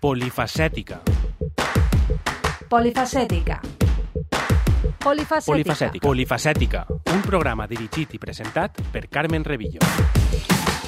Polifacètica. Polifacètica. Polifacètica. Polifacètica, un programa dirigit i presentat per Carmen Revillo.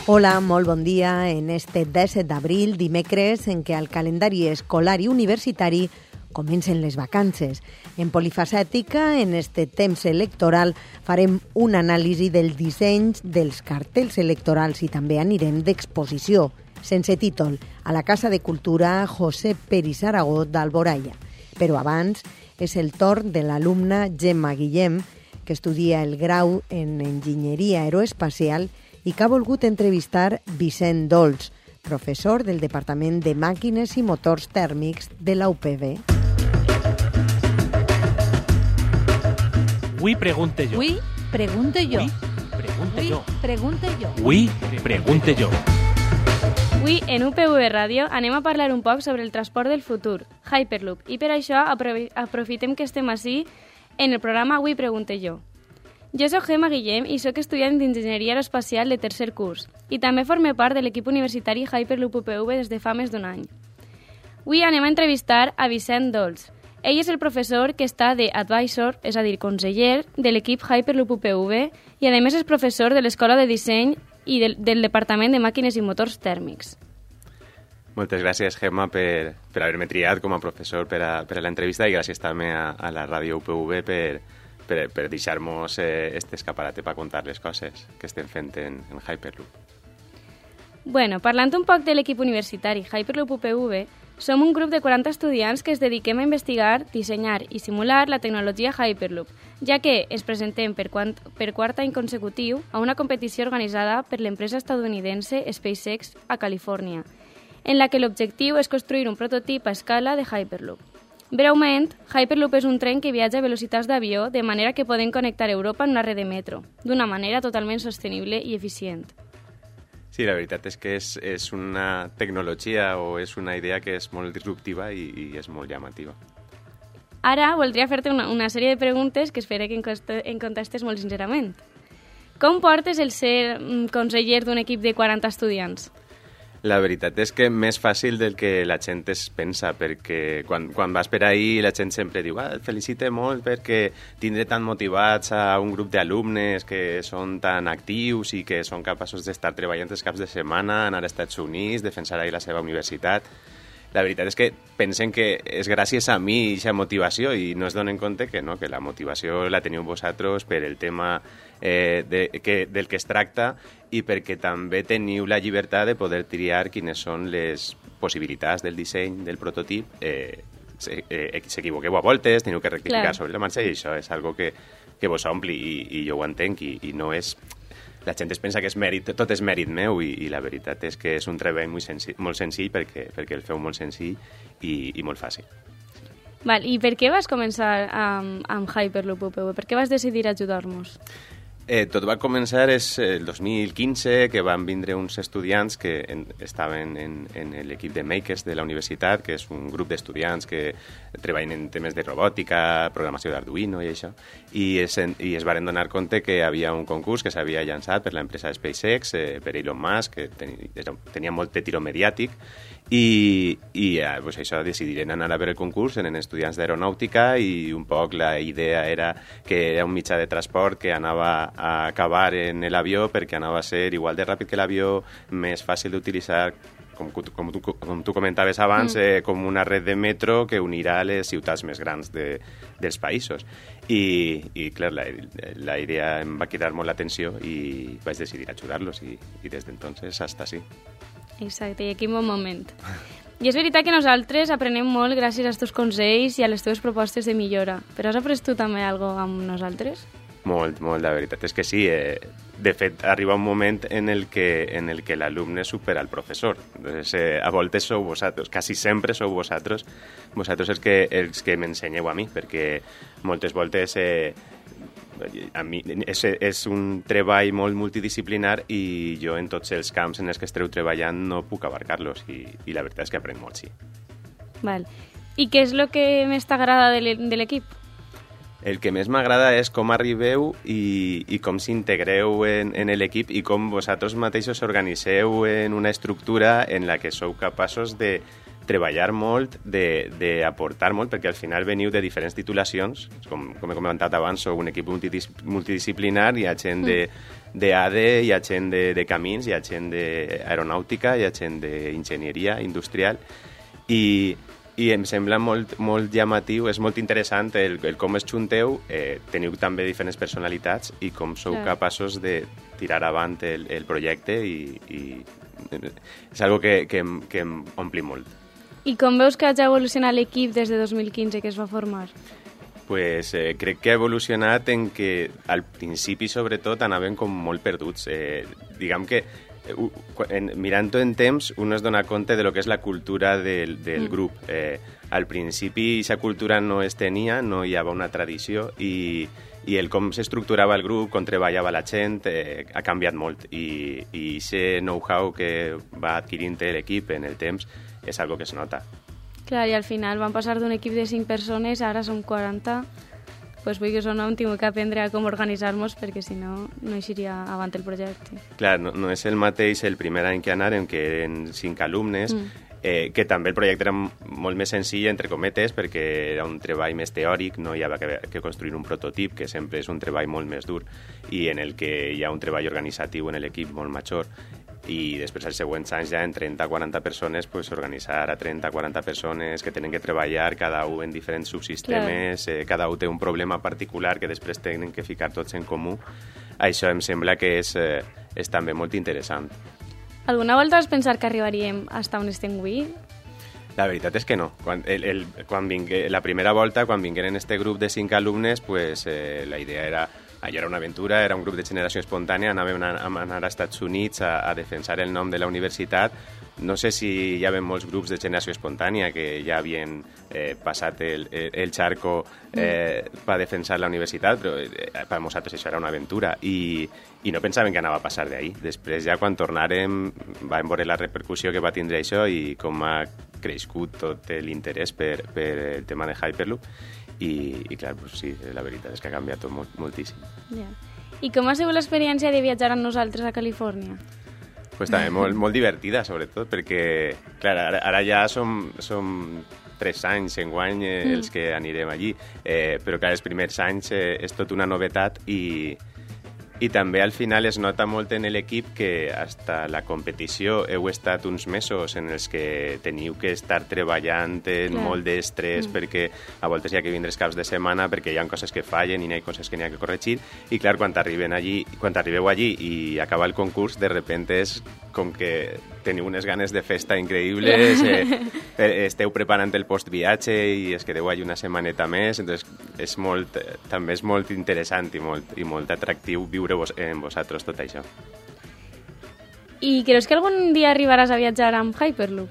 Hola, molt bon dia en este 17 d'abril, dimecres, en què al calendari escolar i universitari comencen les vacances. En Polifacètica, en este temps electoral, farem un anàlisi del disseny dels cartells electorals i també anirem d'exposició, sense títol, a la Casa de Cultura José Peris Aragó d'Alboraya. Però abans és el torn de l'alumna Gemma Guillem, que estudia el grau en Enginyeria Aeroespacial i que ha volgut entrevistar Vicent Dolç, professor del Departament de Màquines i Motors Tèrmics de la UPB. Avui pregunte jo. Avui pregunte jo. Avui pregunte jo. Avui, en UPV Ràdio, anem a parlar un poc sobre el transport del futur, Hyperloop, i per això aprofitem que estem ací en el programa Avui pregunte jo. Jo soc Gemma Guillem i sóc estudiant d'Enginyeria Aeroespacial de tercer curs i també forme part de l'equip universitari Hyperloop UPV des de fa més d'un any. Avui anem a entrevistar a Vicent Dolç. Ell és el professor que està d'advisor, és a dir, conseller, de l'equip Hyperloop UPV i a més és professor de l'Escola de Disseny i del Departament de Màquines i Motors Tèrmics. Moltes gràcies, Gemma, per haver-me triat com a professor per a l'entrevista i gràcies també a la ràdio UPV per deixar-nos este escaparate per contar les coses que estem fent en Hyperloop. Bueno, parlant un poc de l'equip universitari Hyperloop UPV, som un grup de 40 estudiants que es dediquem a investigar, dissenyar i simular la tecnologia Hyperloop, ja que ens presentem per quart any consecutiu a una competició organitzada per l'empresa estadounidense SpaceX a Califòrnia, en la que l'objectiu és construir un prototip a escala de Hyperloop. Breument, Hyperloop és un tren que viatja a velocitats d'avió de manera que podem connectar Europa en una red de metro, d'una manera totalment sostenible i eficient. Sí, la veritat és que és una tecnologia o és una idea que és molt disruptiva i és molt llamativa. Ara voldria fer-te una sèrie de preguntes que espero que em contestes molt sincerament. Com portes el ser conseller d'un equip de 40 estudiants? La veritat és que més fàcil del que la gent es pensa, perquè quan vas per ahí la gent sempre diu et felicite molt perquè tindré tan motivats a un grup d'alumnes que són tan actius i que són capaços d'estar treballant els caps de setmana, anar als Estats Units, defensar ahí la seva universitat. La veritat és que pensen que és gràcies a mi aquesta motivació i no es donen compte que no, que la motivació la teniu vosaltres per el tema del que es tracta i perquè també teniu la llibertat de poder triar quines són les possibilitats del disseny del prototip. S'equivoqueu a voltes, teniu que rectificar sobre la marxa i això és algo que vos ompli i jo ho entenc i no és... La gent es pensa que és mèrit, tot és mèrit meu i la veritat és que és un treball molt senzill perquè el feu molt senzill i molt fàcil. Val, i per què vas començar amb Hyperloop UPV? Per què vas decidir ajudar-nos? Tot va començar el 2015, que van vindre uns estudiants que estaven en l'equip de Makers de la universitat, que és un grup d'estudiants que treballen en temes de robòtica, programació d'Arduino i això, i es varen donar compte que hi havia un concurs que s'havia llançat per l'empresa SpaceX, per Elon Musk, que tenia molt de tiró mediàtic, i pues això decidiren anar a veure el concurs, eren estudiants d'aeronàutica i un poc la idea era que era un mitjà de transport que anava a acabar en l'avió perquè anava a ser igual de ràpid que l'avió, més fàcil d'utilitzar, com tu comentaves abans, com una red de metro que unirà les ciutats més grans dels països. I clar, la idea em va cridar molt l'atenció i vaig decidir ajudar-los i des d'entonces hasta sí. Exacte, i aquí en bon moment. I és veritat que nosaltres aprenem molt gràcies als teus consells i a les teves propostes de millora. Però has après tu també alguna cosa amb nosaltres? Molt, la veritat és que sí. De fet, arriba un moment en el que l'alumne supera el professor. Entonces, a voltes sou vosaltres, quasi sempre sou vosaltres els que m'ensenyeu a mi, perquè moltes voltes a mi és un treball molt multidisciplinar i jo en tots els camps en els que esteu treballant no puc abarcar-los i la veritat és que aprenc molt, sí. Val. I què és el que més t'agrada de l'equip? El que més m'agrada és com arribeu i com s'integreu en l'equip i com vosaltres mateixos organitzeu en una estructura en la que sou capaços de treballar molt, d'aportar molt, perquè al final veniu de diferents titulacions, com he comentat abans, sou un equip multidisciplinar, hi ha gent d'ADE, hi ha gent de camins, hi ha gent d'aeronàutica, hi ha gent d'enginyeria industrial, i em sembla molt llamatiu, és molt interessant el com es junteu, teniu també diferents personalitats i com sou capaços de tirar avant el projecte i és algo que em ompli molt. I com veus que ha evolucionat l'equip des de 2015 que es va formar? Pues crec que ha evolucionat en que al principi, sobretot, anaven com molt perduts. Diguem que mirant-ho en temps, un es dona compte de lo que és la cultura del grup. Al principi, aquesta cultura no es tenia, no hi havia una tradició i el com s'estructurava el grup, com treballava la gent, ha canviat molt. I aquest know-how que va adquirint l'equip en el temps és algo que es nota. Clar, i al final van passar d'un equip de 5 persones, ara som 40. Pues vull que això no hem tingut que aprendre a com organitzar-nos perquè si no, no eixiria avant el projecte. Clar, no és el mateix el primer any que anàrem, que eren 5 alumnes, que també el projecte era molt més senzill, entre cometes, perquè era un treball més teòric, no hi havia que construir un prototip, que sempre és un treball molt més dur, i en el que hi ha un treball organitzatiu en l'equip molt major. I després els següents anys ja en 30-40 persones pues, organitzar a 30-40 persones que tenen que treballar cada un en diferents subsistemes, cada un té un problema particular que després tenen que ficar tots en comú. Això em sembla que és també molt interessant. Alguna volta vas pensar que arribaríem fins on estem avui? La veritat és que no. La primera volta, quan vingueren este grup de 5 alumnes, pues, la idea era... Allò era una aventura, era un grup de generació espontània, anàvem a anar als Estats Units a defensar el nom de la universitat. No sé si hi havia molts grups de generació espontània que ja havien passat el charco per defensar la universitat, però per nosaltres això era una aventura i no pensàvem que anava a passar d'ahí. Després ja quan tornàrem vam veure la repercussió que va tindre això i com ha crescut tot l'interès per el tema de Hyperloop. I clar, pues sí, la veritat és que ha canviat tot moltíssim. Yeah. I com ha sigut l'experiència de viatjar amb nosaltres a Califòrnia? Pues també molt divertida, sobretot, perquè clar, ara ja som 3 anys enguany els que anirem allí, però clar, els primers anys és tot una novetat i també al final es nota molt en l'equip que hasta la competició heu estat uns mesos en els que teniu que estar treballant en molt d'estrès perquè a voltes hi ha que vindre els caps de setmana perquè hi ha coses que fallen i hi ha coses que n'hi ha que corregir i clar, quan arribeu allí i acaba el concurs, de repente és com que teniu unes ganes de festa increïbles, esteu preparant el postviatge i es quedeu allí una setmaneta més, entonces també és molt interessant i molt atractiu viure en vosaltres tot això. I creus que algun dia arribaràs a viatjar amb Hyperloop?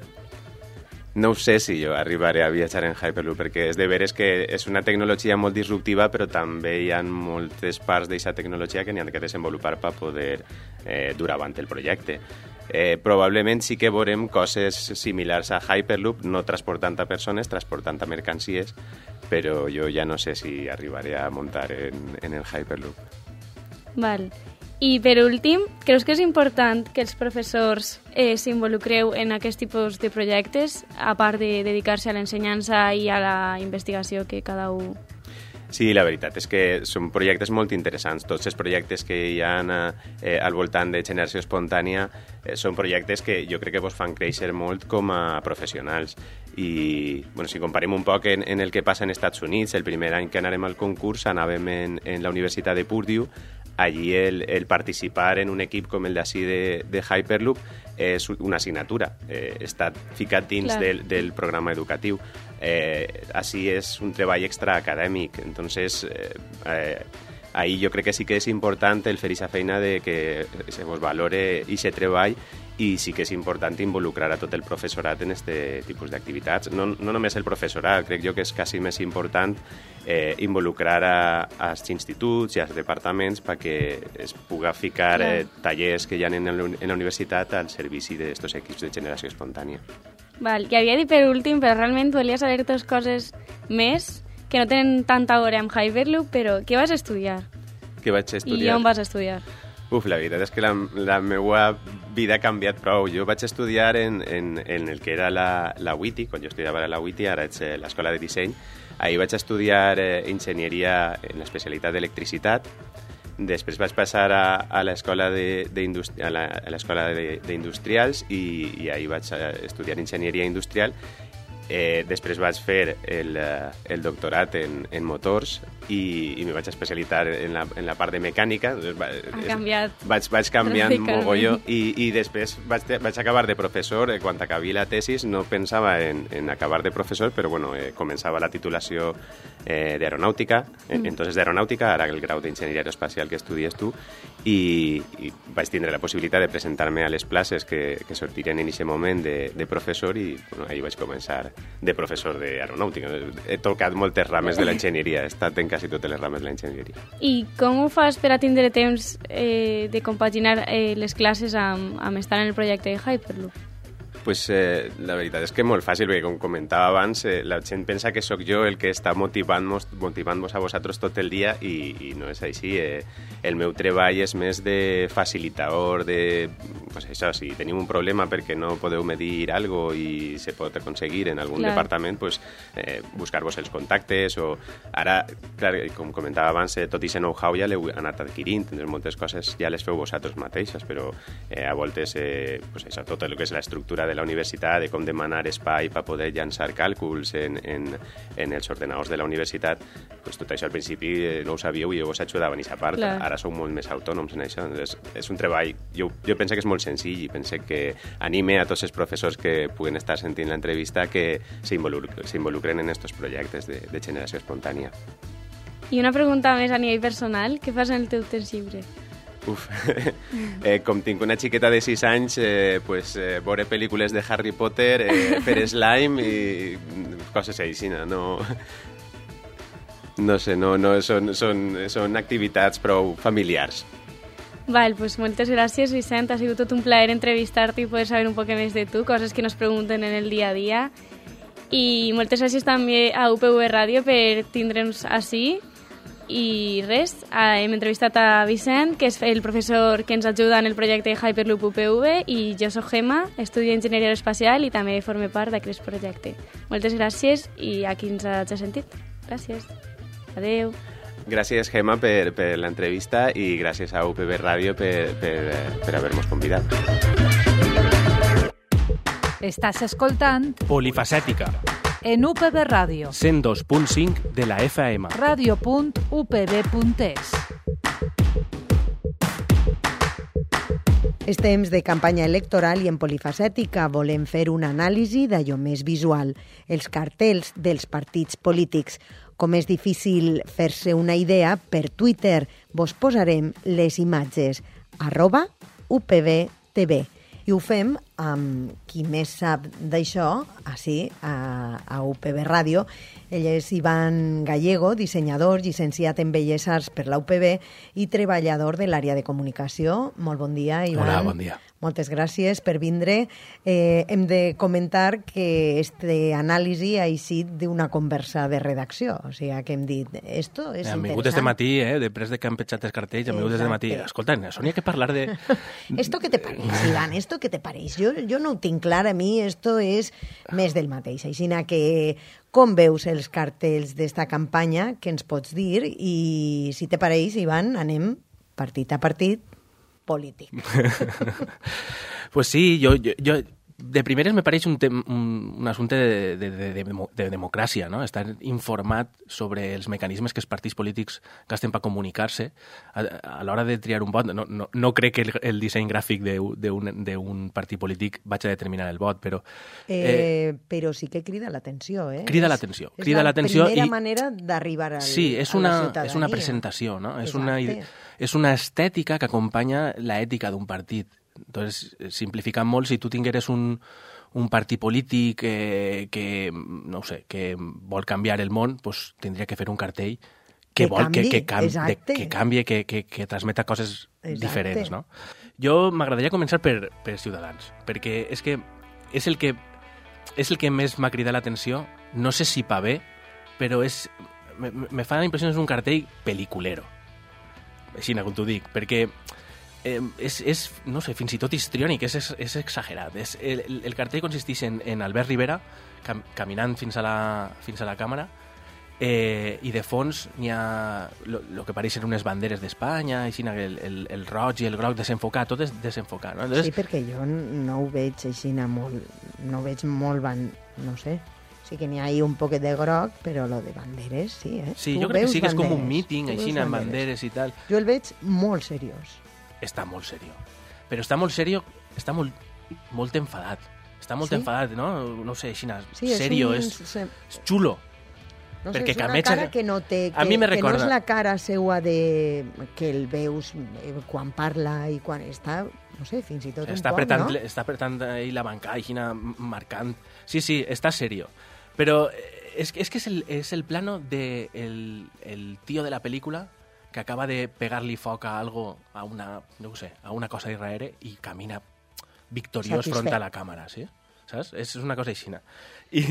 No ho sé si jo arribaré a viatjar en Hyperloop, perquè és de veres que és una tecnologia molt disruptiva, però també hi ha moltes parts d'aquesta tecnologia que n'hi ha que desenvolupar per poder dur avant el projecte. Probablement sí que veurem coses similars a Hyperloop, no transportant a persones, transportant a mercancies, però jo ja no sé si arribaré a muntar en el Hyperloop. Val. I per últim, creus que és important que els professors s'involucreu en aquest tipus de projectes, a part de dedicar-se a l'ensenyança i a la investigació que cada un... Sí, la veritat és que són projectes molt interessants. Tots els projectes que hi ha al voltant de generació espontània són projectes que jo crec que vos fan créixer molt com a professionals. I si comparem un poc en el que passa als Estats Units, el primer any que anàrem al concurs anàvem en la Universitat de Purdue. Allí el participar en un equip com el d'ací de Hyperloop és una assignatura, està ficat dins del programa educatiu. Així és un treball extraacadèmic, entonces ahí jo crec que sí que és important el fer aquesta feina de que se vos valore aquest treball i sí que és important involucrar a tot el professorat en aquest tipus d'activitats. No només el professorat, crec jo que és quasi més important involucrar als instituts i als departaments perquè es puga ficar tallers que hi ha en la universitat al servici d'aquests equips de generació espontània. Val, que havia dit per últim, però realment volia saber 2 coses més que no tenen tanta hora amb Hyperloop, però què vas estudiar? Què vaig estudiar? I on vas estudiar? La veritat és que la meva vida ha canviat prou. Jo vaig estudiar en el que era la UITI, quan jo estudiava a la UITI, ara ets a l'Escola de Disseny. Ahir vaig estudiar enginyeria en l'especialitat d'electricitat. Després vaig passar a l'escola d'industrials i ahir vaig estudiar enginyeria industrial. Després vaig fer el doctorat en motors i me vaig especialitzar en la part de mecànica. Vaig canviant mogolló i després vaig acabar de professor. Quan acabé la tesis no pensava en acabar de professor, però bueno, començava la titulació d'aeronàutica, entonces d'aeronàutica, ara el grau d'enginyeria aeroespacial que estudies tu, i vaig tindre la possibilitat de presentar-me a les places que sortirien en aquest moment de professor i bueno, ahir vaig començar de professor d'aeronàutica. He tocat moltes rames de l'enginyeria, he estat en quasi totes les rames de l'enginyeria. I com ho fas per a tindre temps de compaginar les classes amb estar en el projecte de Hyperloop? Pues la veritat és que molt fàcil, perquè com comentava abans, la gent pensa que sóc jo el que està motivant-vos a vosaltres tot el dia i no és així. El meu treball és més de facilitador, pues això, si tenim un problema perquè no podeu medir algo i se pot aconseguir en algun departament, pues, buscar-vos els contactes o ara, clar, com comentava abans, tot i aquest know-how ja l'heu anat adquirint, moltes coses ja les feu vosaltres mateixes, però a voltes pues això, tot el que és l'estructura de la universitat, de com demanar espai per poder llançar càlculs en els ordenadors de la universitat, pues tot això al principi no ho sabíeu i jo vos ajudava en aquesta part. Ara sou molt més autònoms en això. És un treball, jo penso que és molt senzill i penso que anime a tots els professors que puguen estar sentint l'entrevista que s'involucren en aquests projectes de generació espontània. I una pregunta més a nivell personal, què fas en el teu temps lliure? Com tinc una xiqueta de 6 anys, pues, veure pel·lícules de Harry Potter, fer slime i coses així, no sé, són activitats prou familiars. Val, pues moltes gràcies, Vicent. Ha sigut tot un plaer entrevistar-te i poder saber un poc més de tu, coses que nos pregunten en el dia a dia. I moltes gràcies també a UPV Ràdio per tindre'ns ací. I res, hem entrevistat a Vicent, que és el professor que ens ajuda en el projecte Hyperloop UPV, i jo soc Gemma, estudio enginyeria aeroespacial i també forme part d'aquest projecte. Moltes gràcies i a qui ens hagi sentit. Gràcies. Adeu. Gràcies, Gemma, per l'entrevista i gràcies a UPV Ràdio per haver-nos convidat. Estàs escoltant Polifacètica en UPV Ràdio 102.5 de la FM. Radio.upv.es. És temps de campanya electoral i en Polifacètica volem fer una anàlisi d'allò més visual, els cartells dels partits polítics. Com és difícil fer-se una idea, per Twitter vos posarem les imatges @UPVTV. I ho fem amb qui més sap d'això, així, a UPV Ràdio. Ell és Ivan Gallego, dissenyador, llicenciat en Belles Arts per la UPV i treballador de l'àrea de comunicació. Molt bon dia, Ivan. Hola, bon dia. Moltes gràcies per vindre. Hem de comentar que este anàlisi ha eixit d'una conversa de redacció. O sigui, que hem dit, esto és interessant. Hem vingut des de matí, després de que han petjat els cartells, hem vingut des de matí. Escolta, això n'hi ha que parlar de... Esto què te pareix, Ivan? Esto què te pareix? Jo no ho tinc clar, a mi esto és més del mateix. Així que com veus els cartells d'esta campanya, què ens pots dir? I si te pareix, Ivan, anem partit a partit polític. Pues sí, jo de primeres me pareix un assumpte de democràcia, no? Estar informat sobre els mecanismes que els partits polítics gasten per comunicar-se a l'hora de triar un vot. No crec que el disseny gràfic d'un partit polític vagi a determinar el vot, però... Però sí que crida l'atenció, eh? Crida l'atenció. És la primera manera d'arribar a la ciutadania. És una presentació, no? És una estètica que acompanya l'ètica d'un partit. Entonces, simplificant molt, si tu tingueres un partit polític que no sé, que vol canviar el món, pues tindria que fer un cartell que canvi, que transmeta coses diferents, no? Jo m'agradaria començar per Ciutadans, perquè és que és el que més m'ha cridat l'atenció. No sé si pa bé, però me fa la impressió que és un cartell peliculero. Així, com t'ho dic, perquè no sé, fins i tot histriònic, és exagerat. El cartell consisteix en Albert Rivera caminant fins a la càmera, i de fons n'hi ha el que pareixen unes banderes d'Espanya, així, el roig i el groc desenfocat, tot és desenfocat. No? Entonces, sí, perquè jo no ho veig així molt, no veig molt, no sé, sí que n'hi ha un poquet de groc, però lo de banderes, sí, eh? Sí, jo crec que sí, que és com un míting, així, amb banderes i tal. Jo el veig molt seriós. Està molt seriós. Però està molt seriós, està molt enfadat. Està molt enfadat, no? No sé, així, serio, és xulo. No sé, és una cara que no té... A mi me recorda... Que no és la cara seua de... que el veus quan parla i quan està... No sé, fins i tot està un poc, no? Està apretant ahí la banca, així, marcant... Sí, està serio. Però és que és el plano de el tío de la película que acaba de pegar-li foc a algo, a una cosa d'irraere i camina victoriós front a la càmera, sí? Saps? És una cosa aixina. I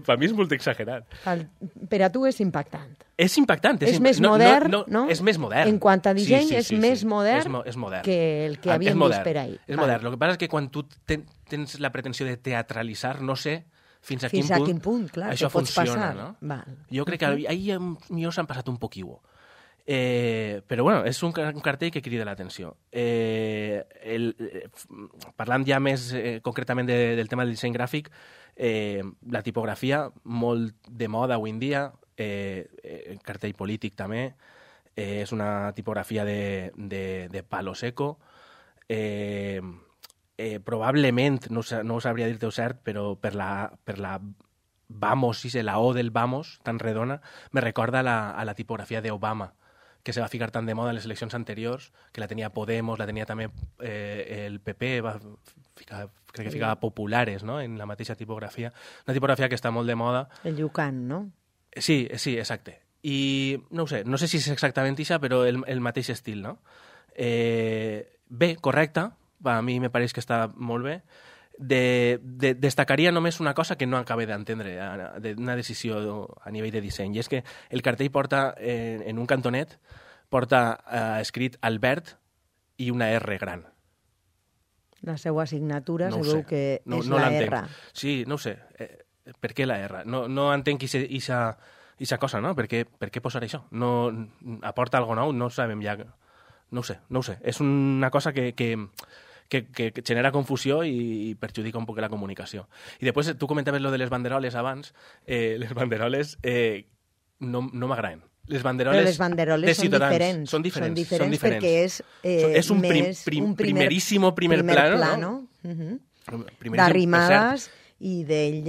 per mi és molt exagerat. Per a tu és impactant. És impactant. És més modern, no? És més modern. En quant a disseny, és més modern que el que havíem vist per ahir. És modern. El que passa és que quan tu tens la pretensió de teatralitzar, no sé fins a quin punt clar, això funciona, no? Val. Jo crec que ahir millor s'han passat un poquiu. Però bueno, és un cartell que crida l'atenció. Parlant ja més concretament del tema del disseny gràfic, la tipografia molt de moda avui en dia, el cartell polític també, és una tipografia de palo seco, probablement, no ho sabria dir-te cert, però per la Vamos, la O del Vamos, tan redona, me recorda a la tipografia d'Obama, que se va ficar tan de moda en les eleccions anteriors, que la tenia Podemos, la tenia també el PP, crec que ficava Populares, no?, en la mateixa tipografia. Una tipografia que està molt de moda. El Llucan, no? Sí, exacte. I no sé si és exactament això, però el mateix estil, no? Bé, correcte, a mi me pareix que està molt bé. Destacaria només una cosa que no acabé d'entendre d'una decisió a nivell de disseny, i és que el cartell porta, en un cantonet, porta escrit Albert i una R gran. La seva signatura veu que és la R. Sí, no ho sé. Per què la R? No entenc aquesta cosa, no? Per què posar això? No aporta alguna cosa nou? No sabem ja. No ho sé. És una cosa que genera confusió i perjudica un poc la comunicació. I després, tu comentaves lo de les banderoles abans. Les banderoles no m'agraden. Les banderoles de Ciutadans són diferents perquè és un primerísimo primer plano, no? D'arrimades i d'ell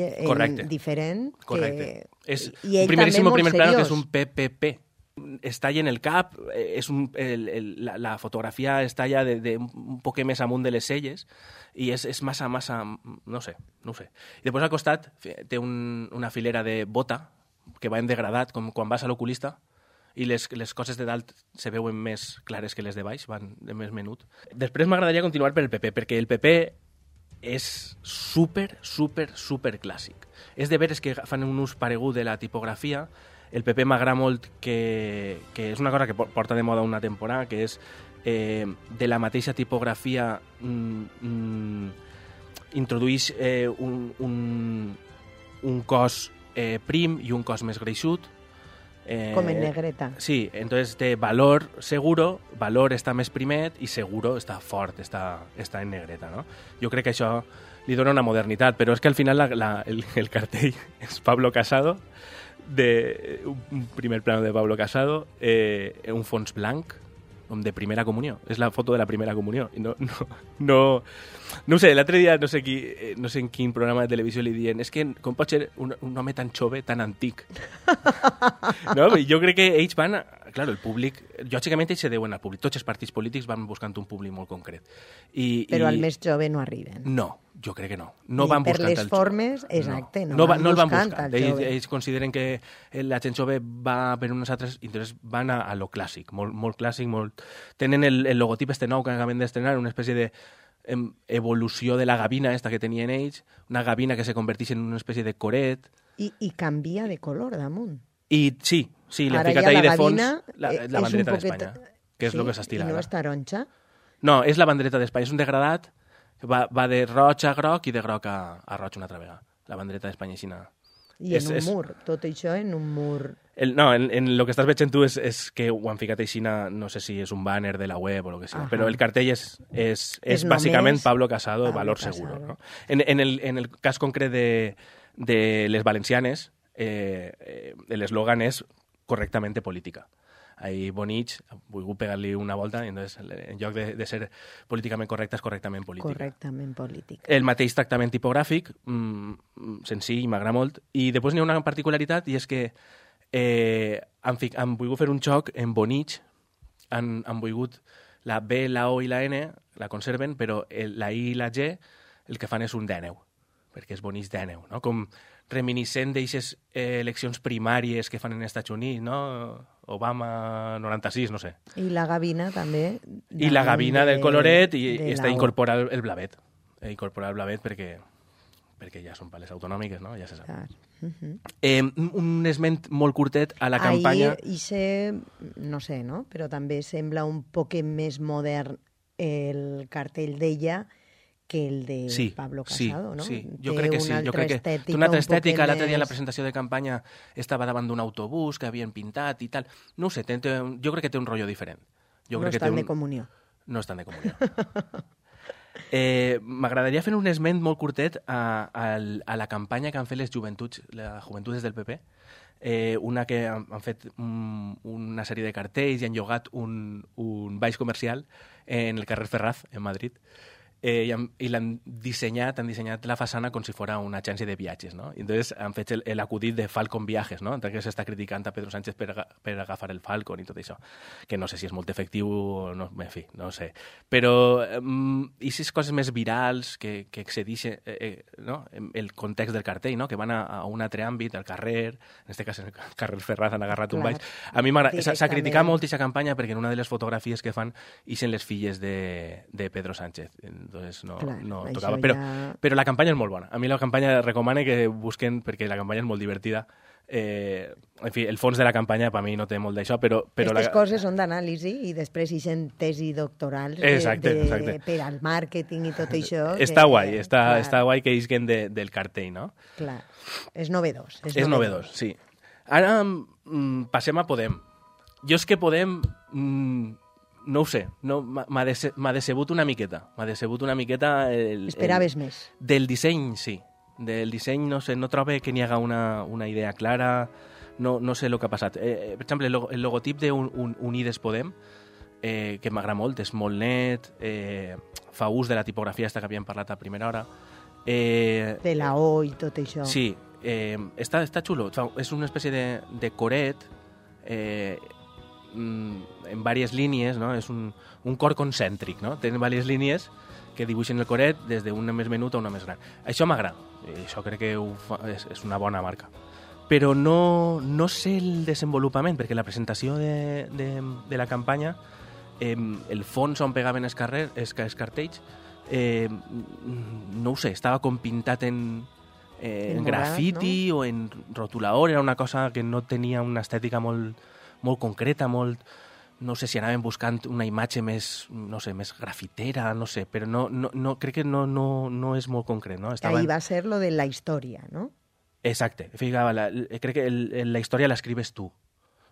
diferent. Correcte. És un primerísimo primer plano que és un PPP. Es talla en el cap, la fotografia es talla de un poc més amunt de les celles i és massa, no sé. I després al costat té una filera de bota que va en degradat, com quan vas a l'oculista, i les coses de dalt se veuen més clares que les de baix, van de més menut. Després m'agradaria continuar per el PP, perquè el PP és super clàssic. És de veres que fan un ús paregut de la tipografia. El PP m'agrada molt, que és una cosa que porta de moda una temporada, que és de la mateixa tipografia introdueix un cos prim i un cos més greixut. Com en negreta. Sí, entonces té valor seguro, valor està més primet i seguro està fort, està en negreta, no? Jo crec que això li dona una modernitat, però és que al final el cartell és Pablo Casado, un primer plano de Pablo Casado, un fons blanc, de primera comunió. És la foto de la primera comunió. I no ho sé, l'altre dia no sé en quin programa de televisió li diuen com pot ser un home tan jove, tan antic? No? Jo crec que ells van... Clar, el públic... Lògicament ells se deuen al públic. Tots els partits polítics van buscant un públic molt concret. Però al més jove no arriben. No, jo crec que no. No van buscant per les formes, exacte. No el van buscant. Ells consideren que la gent jove va per unes altres... Entonces van a lo clàssic, molt clàssic, molt... Tenen el logotip nou que acaben d'estrenar, una espècie de evolució de la gavina esta que tenien ells, una gavina que se converteix en una espècie de coret. I canvia de color damunt. I sí, li han ficat ahí de fons la bandereta d'Espanya, que és el que s'estila. I no és taronja? No, és la bandereta d'Espanya. És un degradat que va de roig a groc i de groc a roig una altra vegada. La bandereta d'Espanya aixina. I en un mur, tot això en un mur. No, en el que estàs veient tu és que ho han ficat aixina, no sé si és un banner de la web o el que sigui, però el cartell és bàsicament Pablo Casado, Valor Seguro. No? En el cas concret de les valencianes, l'eslògan és correctamente política. Ahí Bonich ha volgut pegar-li una volta i entonces, en lloc de ser políticament correcta és correctament política. Correctament política. El mateix tractament tipogràfic, senzill, m'agrada molt. I després n'hi ha una particularitat i és que han volgut fer un xoc en Bonich, han volgut la B, la O i la N, la conserven, però la I i la G el que fan és un dèneu, perquè és Bonich dèneu, no? Com reminiscent d'eixes eleccions primàries que fan en Estats Units, no? Obama 96, no sé. I la gavina també. I la gavina del coloret i està incorporat el blavet. Incorporar el blavet perquè ja són pales autonòmiques, no? Ja se sap. Un esment molt curtet a la campanya... Ahir, no sé, no? Però també sembla un poc més modern el cartell d'ella que el de Pablo Casado, no? Sí, jo crec que sí. Jo crec que té una altra estètica. L'altre dia en la presentació de campanya estava davant d'un autobús que havien pintat i tal. No ho sé, jo crec que té un rotllo diferent. No estan de comunió. No estan de comunió. M'agradaria fer un esment molt curtet a la campanya que han fet les joventudes del PP, una que han fet una sèrie de cartells i han llogat un baix comercial en el carrer Ferraz, en Madrid, i han dissenyat la façana com si fos una agència de viatges, no? I entonces han fet l'acudit de Falcon Viajes, no? Entonces que s'està criticant a Pedro Sánchez per agafar el Falcon i tot això, que no sé si és molt efectiu o no, en fi, no sé. Però aquestes coses més virals que excedeixen no? El context del cartell, no? Que van a un altre àmbit, al carrer, en aquest cas en el carrer Ferraz han agarrat un baix. A mi s'ha criticat molt aquesta campanya perquè en una de les fotografies que fan ixen les filles de Pedro Sánchez. Entonces no tocava. Però la campanya és molt bona. A mi la campanya recomano que busquen, perquè la campanya és molt divertida. En fi, el fons de la campanya per mi no té molt d'això, però... Aquestes coses són d'anàlisi i després ixen tesi doctorals per al màrqueting i tot això. Està guai, està guai que isquen del cartell, no? Clar, és novedós. És novedós, sí. Ara passem a Podem. Jo és que Podem... No ho sé, m'ha decebut una miqueta. Esperaves més? Del disseny, sí. Del disseny, no sé, no trobo que n'hi haga una idea clara, no sé el que ha passat. Per exemple, el logotip d'Unides Podem, que m'agrada molt, és molt net, fa ús de la tipografia que havíem parlat a primera hora. De la O i tot això. Sí, està xulo. És una espècie de coret, en diverses línies, no? És un cor concèntric, no? Tenen diverses línies que dibuixen el coret des d'una més menuda a una més gran. Això m'agrada, això crec que és una bona marca. Però no sé el desenvolupament, perquè la presentació de la campanya, el fons on pegaven els cartells, no ho sé, estava com pintat en grafiti, no? O en rotulador, era una cosa que no tenia una estètica molt concreta, no sé si anaven buscant una imatge més, no sé, més grafitera, no sé, però no crec que no és molt concret, no? Ahí va ser lo de la història, no? Exacte, crec que la història l'escribes tu.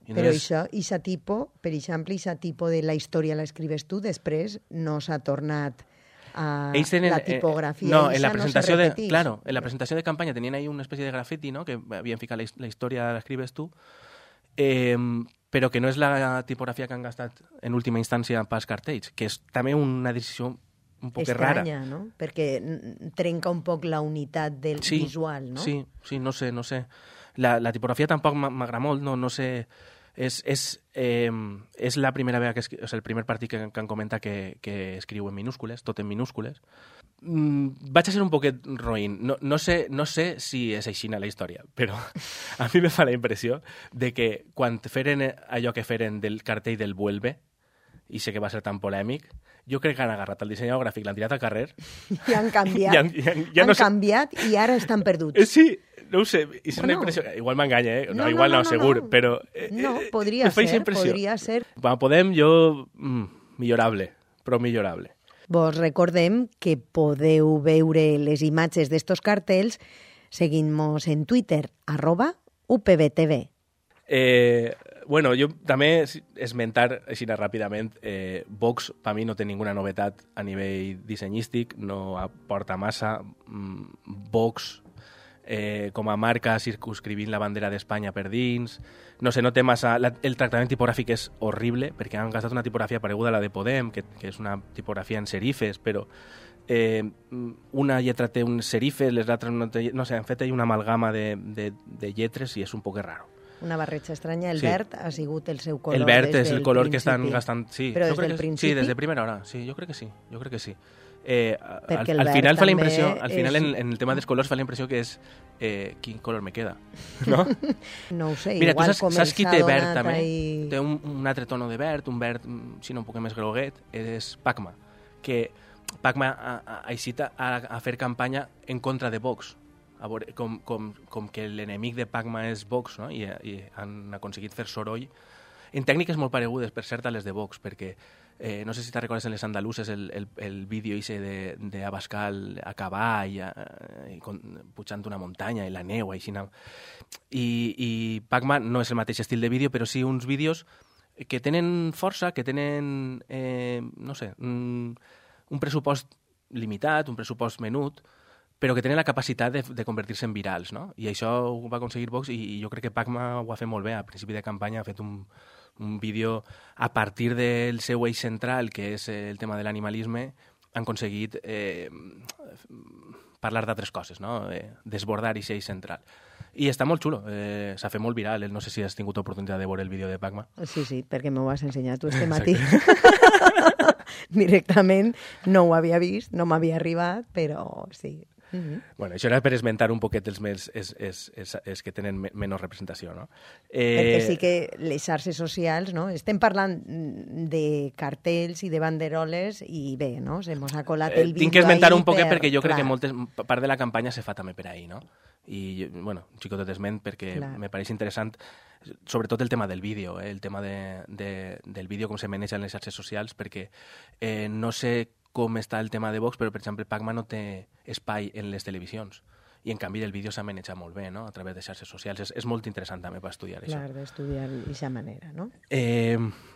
Però això, per exemple, aquest tipus de la història l'escribes tu, després no s'ha tornat a la tipografia. No, en la presentació en la presentació de campanya tenien ahí una espècie de grafiti, no?, que havien ficat la història l'escribes tu, però que no és la tipografia que han gastat en última instància pels cartells, que és també una decisió un poc rara. Estranya, no? Perquè trenca un poc la unitat del visual, no? Sí, no sé. La tipografia tampoc m'agrada molt, no sé... És la primera vegada és el primer partit que han comentat que escriu en minúscules, tot en minúscules. Vaig a ser un poquet roïn. No sé si és així la història, però a mi me fa la impressió de que quan feren allò que feren del cartell del Vuelve, i sé que va ser tan polèmic, jo crec que han agarrat el dissenyador gràfic, l'han tirat al carrer... I han canviat. Han canviat i ara estan perduts. Sí, no ho sé, és una impressió... Igual m'enganya, igual no, segur, però... No, podria ser. Podem, millorable, però millorable. Vos recordem que podeu veure les imatges d'estos cartells seguint-nos en Twitter, @UPBTV. Bueno, jo també esmentar així ràpidament, Vox per mi no té ninguna novetat a nivell dissenyístic, no aporta massa. Vox com a marca circunscrivint la bandera d'Espanya per dins, no sé, no té massa... El tractament tipogràfic és horrible perquè han gastat una tipografia pareguda a la de Podem, que és una tipografia en serifes, però una lletra té un serifes, les altres no sé, han fet una amalgama de lletres i és un poc raro. Una barreja estranya. El verd ha sigut el seu color. El verd és el color que estan gastant... Sí, però des del principi? Sí, des de primera hora. Sí, jo crec que sí. Perquè el al verd final fa la també impressió, al final és... en el tema dels colors fa la impressió que és quin color me queda, no? No ho sé, mira, igual tu saps qui té verd també? I... Té un altre tono de verd, un verd, si no un poc més groguet, és Pacma, que Pacma ha eixit a fer campanya en contra de Vox, a veure, com que l'enemic de Pacma és Vox, no? I han aconseguit fer soroll en tècniques molt paregudes, per cert, a les de Vox, perquè no sé si te'n recordes en les andaluses el vídeo d'Abascal a cavall, pujant una muntanya i la neu, així. I Pacma no és el mateix estil de vídeo, però sí uns vídeos que tenen força, que tenen, no sé, un pressupost limitat, un pressupost menut, però que tenen la capacitat de convertir-se en virals, no? I això ho va aconseguir Vox i jo crec que Pacma ho ha fet molt bé. A principi de campanya ha fet un vídeo a partir del seu eix central, que és el tema de l'animalisme, han aconseguit parlar d'altres coses, no? Desbordar aquest eix central. I està molt xulo, s'ha fet molt viral. No sé si has tingut oportunitat de veure el vídeo de Pacma. Sí, perquè m'ho has ensenyat tu este matí. Directament no ho havia vist, no m'havia arribat, però sí. Bueno, això era per esmentar un poquet els que tenen menys representació, no? Perquè sí que les xarxes socials, no? Estem parlant de cartells i de banderoles i bé, no? Se mos ha colat el vídeo. Tinc que esmentar un poquet perquè jo crec que part de la campanya se fa també per ahí, no? I, bueno, un xicotet esment perquè me pareix interessant, sobretot el tema del vídeo, el tema del vídeo, com se maneja en les xarxes socials, perquè no sé com està el tema de Vox, però, per exemple, Pacma no té espai en les televisions. I, en canvi, el vídeo s'ha manejat molt bé, no?, a través de xarxes socials. És molt interessant, també, per estudiar això. Clar, d'estudiar d'aquesta manera, no?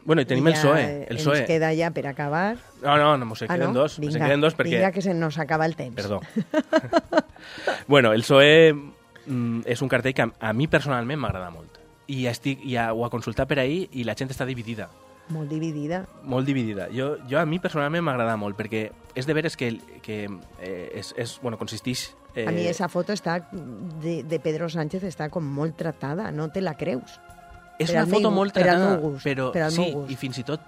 Bueno, i tenim el PSOE. Ens queda ja per acabar... No, se queden dos. Vinga, se queden dos perquè... vinga, que se nos acaba el temps. Perdó. Bueno, el PSOE és un cartell que a mi personalment m'agrada molt. I ho ha consultat per ahir i la gent està dividida. Molt dividida. Molt dividida. Jo a mi personalment m'agrada molt, perquè és de veres que bueno, consisteix... A mi esa foto està de Pedro Sánchez està com molt tratada, no te la creus. És una foto molt tratada, però sí, i fins i tot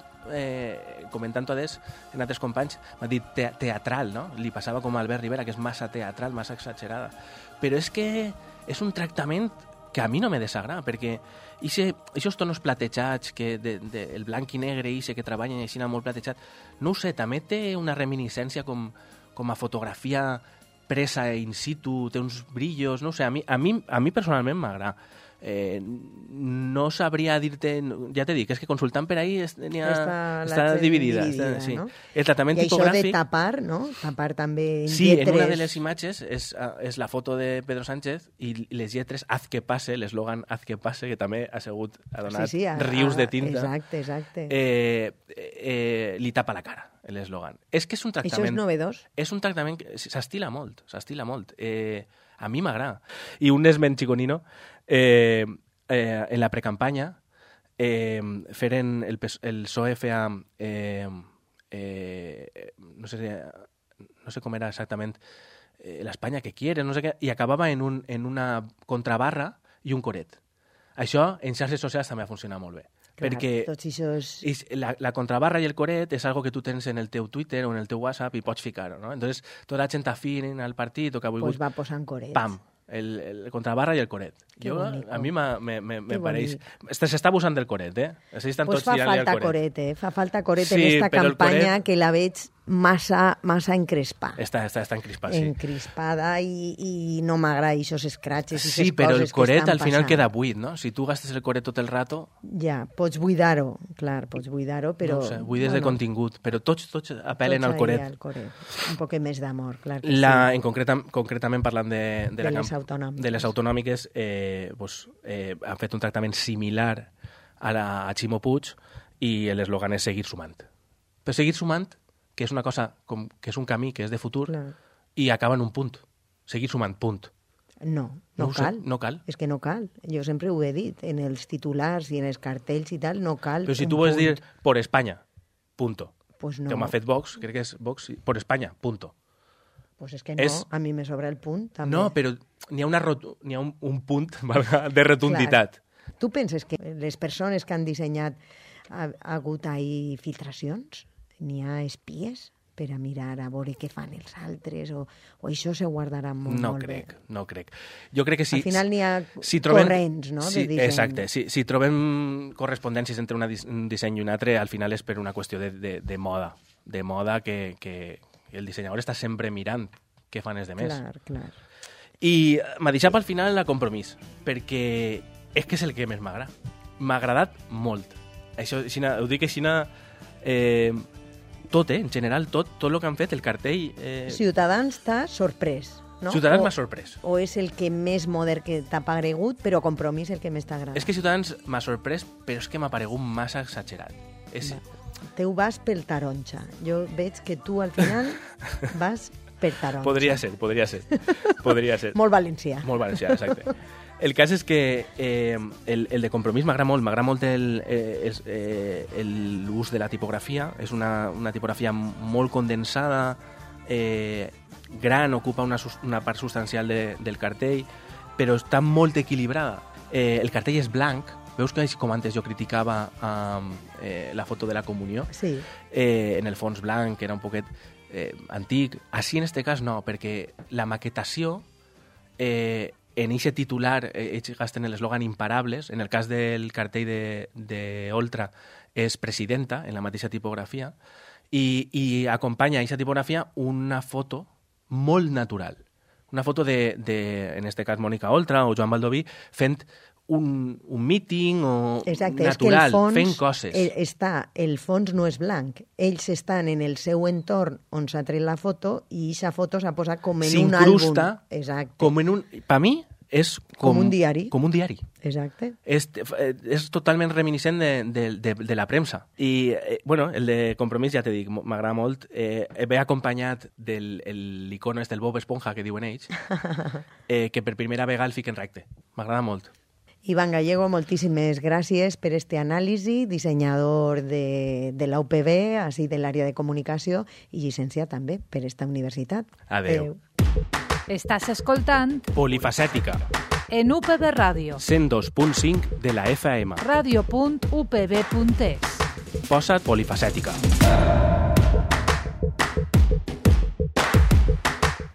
comentant-ho en altres companys, m'ha dit teatral, no? Li passava com a Albert Rivera, que és massa teatral, massa exagerada. Però és que és un tractament que a mi no me desagrada, perquè aquests tonos platejats, el blanc i negre que treballen així molt platejat, no ho sé, també té una reminiscència com a fotografia presa in situ, té uns brillos, no ho sé, a mi personalment m'agrada. No sabria dir-te... Ja t'he dit, és que consultant per ahí està dividida. Sí. No? El tractament I tipogràfic... això de tapar, no? Tapar també en sí, lletres... en una de les imatges és la foto de Pedro Sánchez i les lletres haz que passe, l'eslògan haz que passe, que també ha donat rius de tinta. Exacte. Li tapa la cara, l'eslògan. És que és un tractament... Això és novedós. És un tractament que s'estila molt. A mi m'agrada. I un esment xiconino, en la precampanya feren el PSOE feia no sé com era exactament l'Espanya que quiere, no sé què, i acabava en una contrabarra i un coret. Això en xarxes socials també ha funcionat molt bé. Clar, perquè la contrabarra i el coret és algo que tu tens en el teu Twitter o en el teu WhatsApp i pots ficar-ho, no? Entonces, tota la gent afín al partit o que ha volgut... Pues va posant corets. Pam! El contrabarra i el coret. A mi me pareix... S'està abusant del coret, S'estan pues tots tirant-li al coret. Fa falta coret en esta campanya que la veig massa encrespada. Està encrespada, sí. Encrespada i no m'agrada aquests escratxes i sí, però el coret al final queda buit, no? Si tu gastes el coret tot el rato... Ja, pots buidar-ho, clar, però... No sé, buides de contingut, però tots apel·len al coret. Al coret. Un poc més d'amor, clar que sí. Concretament parlant de les autonòmiques, han fet un tractament similar a Ximo Puig i l'eslògan és seguir sumant. Però seguir sumant, que és una cosa que és un camí que és de futur, i acaba en un punt. Seguir sumant, punt. No cal. No cal. És que no cal. Jo sempre ho he dit. En els titulars i en els cartells i tal, no cal. Però si tu vols dir por España, punto. Pues no. Que m'ha fet Vox, crec que és Vox, por España, punto. Pues és que no, a mi me sobra el punt, també. No, però n'hi ha un punt de rotunditat. Clar. Tu penses que les persones que han dissenyat ha hagut ahí filtracions? N'hi ha espies per a mirar a veure què fan els altres? O això se guardarà molt bé? No crec. Jo crec que sí. Al final n'hi ha corrents, no?, de disseny. Exacte. Si trobem correspondències entre un disseny i un altre, al final és per una qüestió de moda. De moda que el dissenyador està sempre mirant què fan els demés. Clar. I m'ha deixat pel final la Compromís, perquè és que és el que més m'agrada. M'ha agradat molt. Això, ho dic així, tot, en general, tot el que han fet, el cartell... Ciutadans t'ha sorprès, no? Ciutadans m'ha sorprès. O és el que més modern que t'ha paregut, però Compromís el que més t'ha agradat? És que Ciutadans m'ha sorprès, però és que m'ha paregut massa exagerat. Teu vas pel taronja. Jo veig que tu, al final, vas per taronja. Podria ser. Molt valencià. Molt valencià, exacte. El cas és que el de Compromís m'agrada molt l'ús de la tipografia. És una tipografia molt condensada, gran, ocupa una part substancial del cartell, però està molt equilibrada. El cartell és blanc. Veus que, com antes jo criticava la foto de la comunió? Sí. En el fons blanc, que era un poquet antic. Així, en aquest cas, no, perquè la maquetació, en aquest titular, ells gasten l'eslògan imparables. En el cas del cartell d'Oltra és presidenta, en la mateixa tipografia, i acompanya a aquesta tipografia una foto molt natural. Una foto de en aquest cas, Mònica Oltra o Joan Baldoví fent un míting o natural, fent coses. El fons no és blanc. Ells estan en el seu entorn on s'ha tret la foto i aquesta foto s'ha posat com en un àlbum. S'incrusta com en un... Per mi és com un diari. Com un diari. Exacte. És totalment reminiscent de la premsa. I, el de Compromís, ja t'he dit, m'agrada molt. Ve acompanyat de l'icono del Bob Esponja, que diuen ells, que per primera vegada el fiquen recte. M'agrada molt. Iván Gallego, moltíssimes gràcies per este anàlisi, dissenyador de la UPB, així de l'àrea de comunicació, i llicenciat també per esta universitat. Adéu. Estàs escoltant Polifacètica en UPB Ràdio 102.5 de la FM. Radio.upb.es. Posa't polifacètica.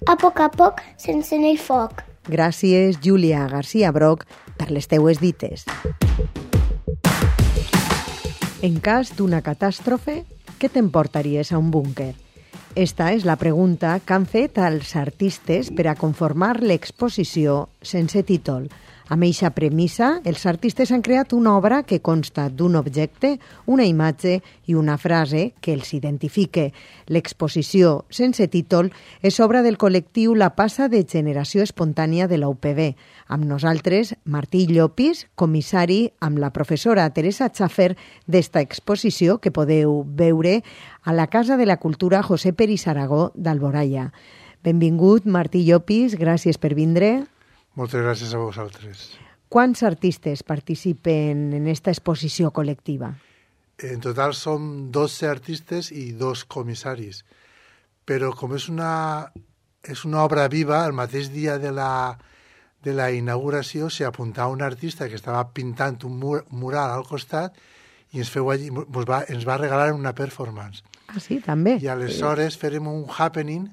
A poc, sense anar foc. Gràcies, Júlia García Broc, per les teues dites. En cas d'una catàstrofe, què t'emportaries a un búnquer? Esta és la pregunta que han fet als artistes per a conformar l'exposició sense títol. Amb eixa premissa, els artistes han creat una obra que consta d'un objecte, una imatge i una frase que els identifique. L'exposició sense títol és obra del col·lectiu La Passa de Generació Espontània de la UPB. Amb nosaltres, Martí Llopis, comissari amb la professora Teresa Schaffer d'esta exposició que podeu veure a la Casa de la Cultura José Peris Aragó d'Alboraya. Benvingut, Martí Llopis, gràcies per vindre. Moltes gràcies a vosaltres. Quants artistes participen en esta exposició col·lectiva? En total som 12 artistes i 2 comissaris. Però com és una obra viva, el mateix dia de la inauguració s'hi apuntava un artista que estava pintant un mural al costat i ens va regalar una performance. Ah, sí, també? I aleshores fèrem un happening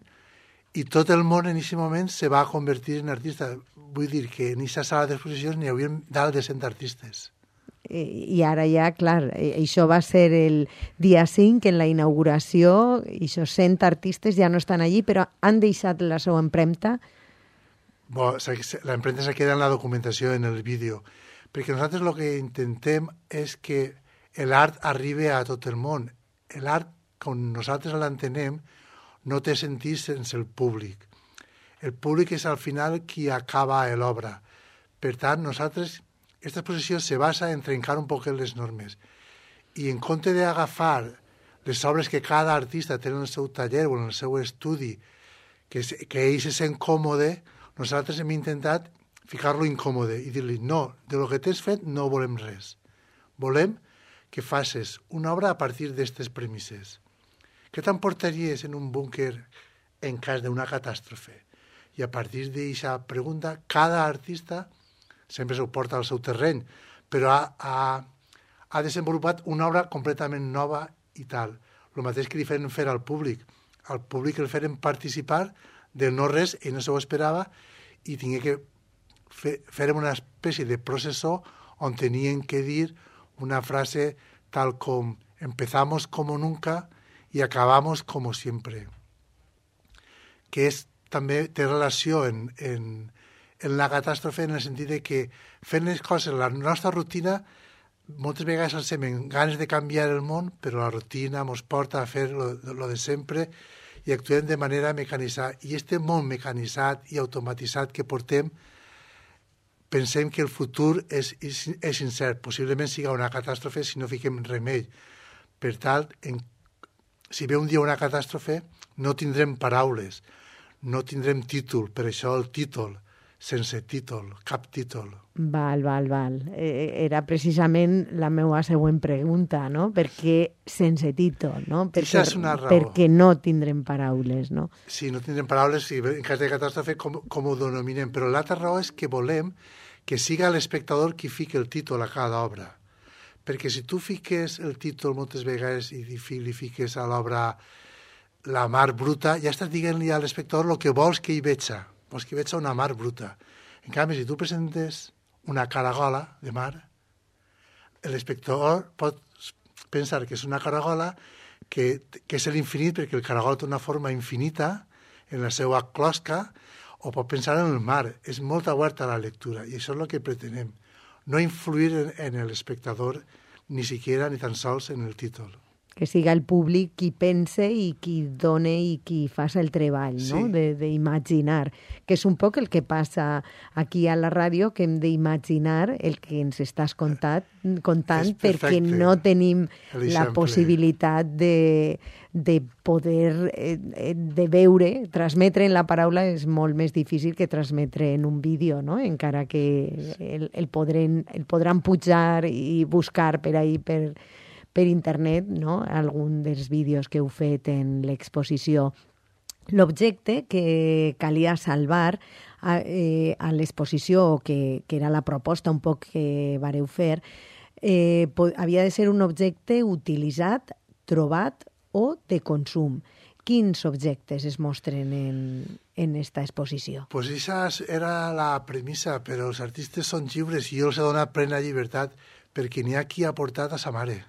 i tot el món en aquest moment se va convertir en artista. Vull dir que en aquesta sala d'exposicions n'hi havia dalt de 100 artistes. I ara ja, clar, això va ser el dia 5, en la inauguració, i aquests 100 artistes ja no estan allí, però han deixat la seva empremta. L'empremta se queda en la documentació, en el vídeo, perquè nosaltres el que intentem és que l'art arribi a tot el món. L'art, com nosaltres l'entenem, no té sentit sense el públic. El públic és al final qui acaba l'obra. Per tant, nosaltres, aquesta exposició se basa en trencar un poc les normes. I en compte d'agafar les obres que cada artista té en el seu taller o en el seu estudi, que ell se sent còmode, nosaltres hem intentat ficar-lo incòmode i dir-li, no, de lo que t'has fet no volem res. Volem que facis una obra a partir d'aquestes premisses. Què t'emportaries en un búnquer en cas d'una catàstrofe? I a partir d'aquesta pregunta, cada artista sempre s'ho porta al seu terreny, però ha desenvolupat una obra completament nova i tal. El mateix que li feren fer al públic. Al públic el feren participar del no-res, ell no s'ho esperava, i tingué que fer una espècie de processó on tenien que dir una frase tal com empezamos como nunca y acabamos como siempre. Que també té relació en la catàstrofe en el sentit de que fent les coses, la nostra rutina, moltes vegades ens hem ganes de canviar el món, però la rutina ens porta a fer lo de sempre i actuem de manera mecanitzada. I aquest món mecanitzat i automatitzat que portem, pensem que el futur és incert. Possiblement siga una catàstrofe si no fiquem remei. Per tant, si ve un dia una catàstrofe, no tindrem paraules, no tindrem títol, per això el títol, sense títol, cap títol. Val. Era precisament la meva següent pregunta, no? Per què sense títol, no? Això és una raó. Perquè no tindrem paraules, no? Sí, no tindrem paraules, sí, en cas de catàstrofe com ho denominem, però l'altra raó és que volem que siga l'espectador qui fiqui el títol a cada obra. Perquè si tu fiques el títol moltes vegades i li fiques a l'obra La mar bruta, ja estàs dient-li a l'espectador el que vols que hi veja. Vols que hi veja una mar bruta. En canvi, si tu presentes una caragola de mar, l'espectador pot pensar que és una caragola que és l'infinit, perquè el caragol té una forma infinita en la seva closca, o pot pensar en el mar. És molt oberta a la lectura, i això és el que pretenem. No influir en l'espectador, ni siquiera ni tan sols en el títol. Que siga el públic qui pense i qui done i qui fa el treball, no? D'imaginar, que és un poc el que passa aquí a la ràdio, que hem d'imaginar el que ens estàs contant perquè no tenim la possibilitat de poder, de veure, transmetre en la paraula és molt més difícil que transmetre en un vídeo, no? Encara que el podran pujar i buscar per ahí, per internet, no? Algun dels vídeos que heu fet en l'exposició. L'objecte que calia salvar a l'exposició, que era la proposta un poc que vareu fer, havia de ser un objecte utilitzat, trobat o de consum. Quins objectes es mostren en esta exposició? Pues esa era la premissa, però els artistes són lliures i jo els he donat plena llibertat perquè n'hi ha qui ha portat a sa mare.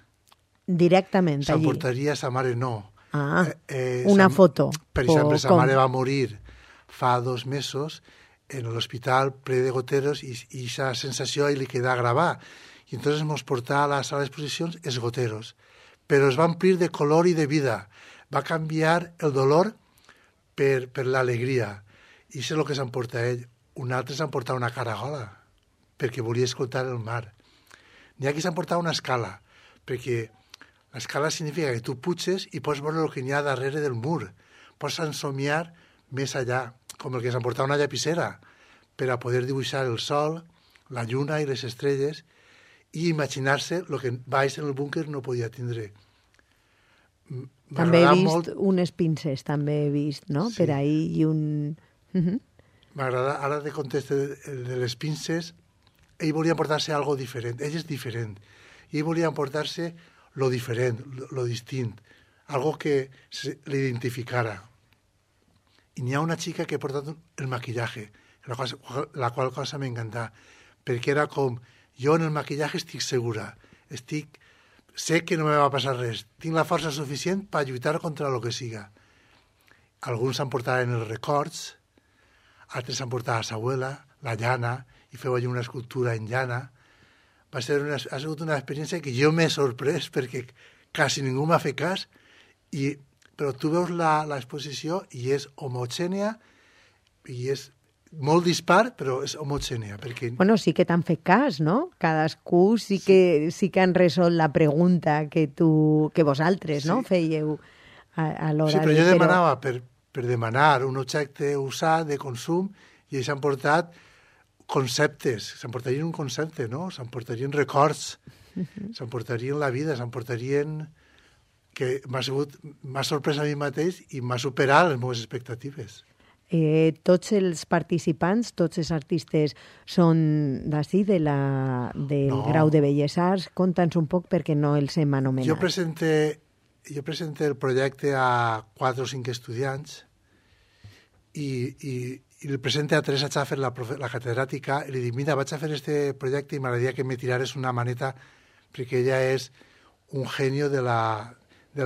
Directament allí? S'emportaria a sa mare, no. Una foto. Per exemple, sa mare va morir fa 2 mesos en l'hospital ple de goteros i aquesta sensació li queda gravar. I entonces ens portà a la sala d'exposicions els goteros. Però es va omplir de color i de vida. Va canviar el dolor per l'alegria. I això és el que s'emporta ell. Un altre s'emporta una caragola perquè volia escoltar el mar. N'hi ha qui s'emporta una escala perquè l'escala significa que tu puges i pots veure el que n'hi ha darrere del mur. Pots ensomiar més allà, com el que s'emportava una llapissera, per a poder dibuixar el sol, la lluna i les estrelles i imaginar-se el que baix en el búnquer no podia tindre. També he vist unes pinces, també he vist, no? Sí. Per ahí i un... M'agrada, ara te contesto de les pinces, ell volia emportar-se algo diferent, ell és diferent, i ell volia emportar-se lo diferent, lo distint, algo que l'identificara. I n'hi ha una xica que ha portat el maquillaje, la qual cosa m'encantà, perquè era com Jo en el maquillatge estic segura. Sé que no me va passar res. Tinc la força suficient per lluitar contra el que siga. Alguns s'emportaven els records, altres s'emportaven a sa abuela, la llana, i feu allí una escultura en llana. Ha sigut una experiència que jo m'he sorprès perquè quasi ningú m'ha fet cas, però tu veus l'exposició i és homogènia i és molt dispar, però és homogènia. Perquè... Bueno, sí que t'han fet cas, no? Cadascú sí que han resolt la pregunta que vosaltres, no? Fèieu a l'hora de... Sí, però jo demanava per demanar un objecte usat de consum i ells s'han portat conceptes, s'emportarien un concepte, no? S'emportarien records, s'emportarien la vida, s'emportarien... que m'ha sorprès a mi mateix i m'ha superat les meves expectatives. Tots els participants, tots els artistes són d'ací, del Grau de Belles Arts. Conta'ns un poc perquè no els hem anomenat. Jo presente el projecte a 4 o 5 estudiants i el presente a Teresa Schaffer, la catedràtica, i li dic, mira, vaig a fer este projecte i m'agradaria que me tirares una maneta perquè ella és un genio de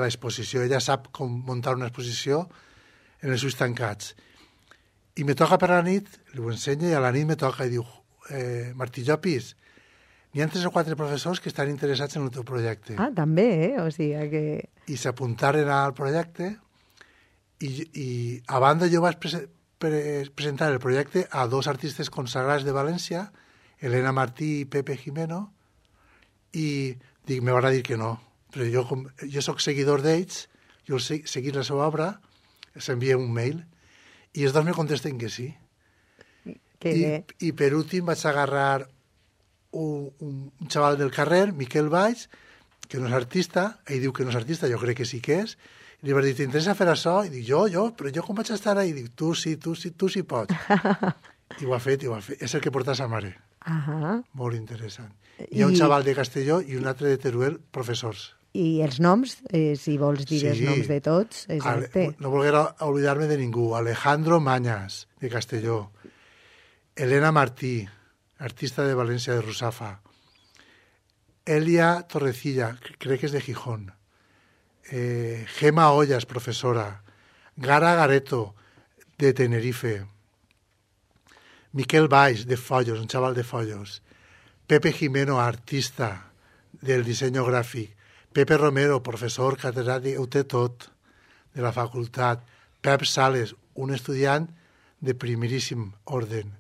l'exposició. Ella sap com muntar una exposició en els ulls tancats. I me toca per la nit, li ho ensenyo, i a la nit me toca i diu, Martí Llopis, n'hi ha 3 o 4 professors que estan interessats en el teu projecte. Ah, també, O sigui que... I s'apuntaren al projecte i a banda jo vaig presentar el projecte a 2 artistes consagrats de València, Elena Martí i Pepe Jimeno, i dic, me van a dir que no. Però jo soc seguidor d'ells, jo he seguit la seva obra, els envia un mail, i els 2 me contesten que sí. I per últim vaig agarrar un xaval del carrer, Miquel Valls, que no és artista, ell diu que no és artista, jo crec que sí que és, i li va dir, t'interessa fer això? I dic, però jo com vaig estar ahí? I dic, tu sí pots. I ho ha fet. És el que porta sa mare. Molt interessant. Hi ha un xaval de Castelló i un altre de Teruel, professors. I els noms, si vols dir els noms de tots, exacte. No volguera oblidar-me de ningú. Alejandro Mañas, de Castelló. Elena Martí, artista de València, de Rusafa. Elia Torrecilla, crec que és de Gijón. Gema Ollas, professora. Gara Gareto, de Tenerife. Miquel Valls, de Follos, un xaval de Follos. Pepe Jimeno, artista del disseny gràfic. Pepe Romero, professor catedràtic, ho té tot, de la facultat. Pep Sales, un estudiant de primeríssim orden.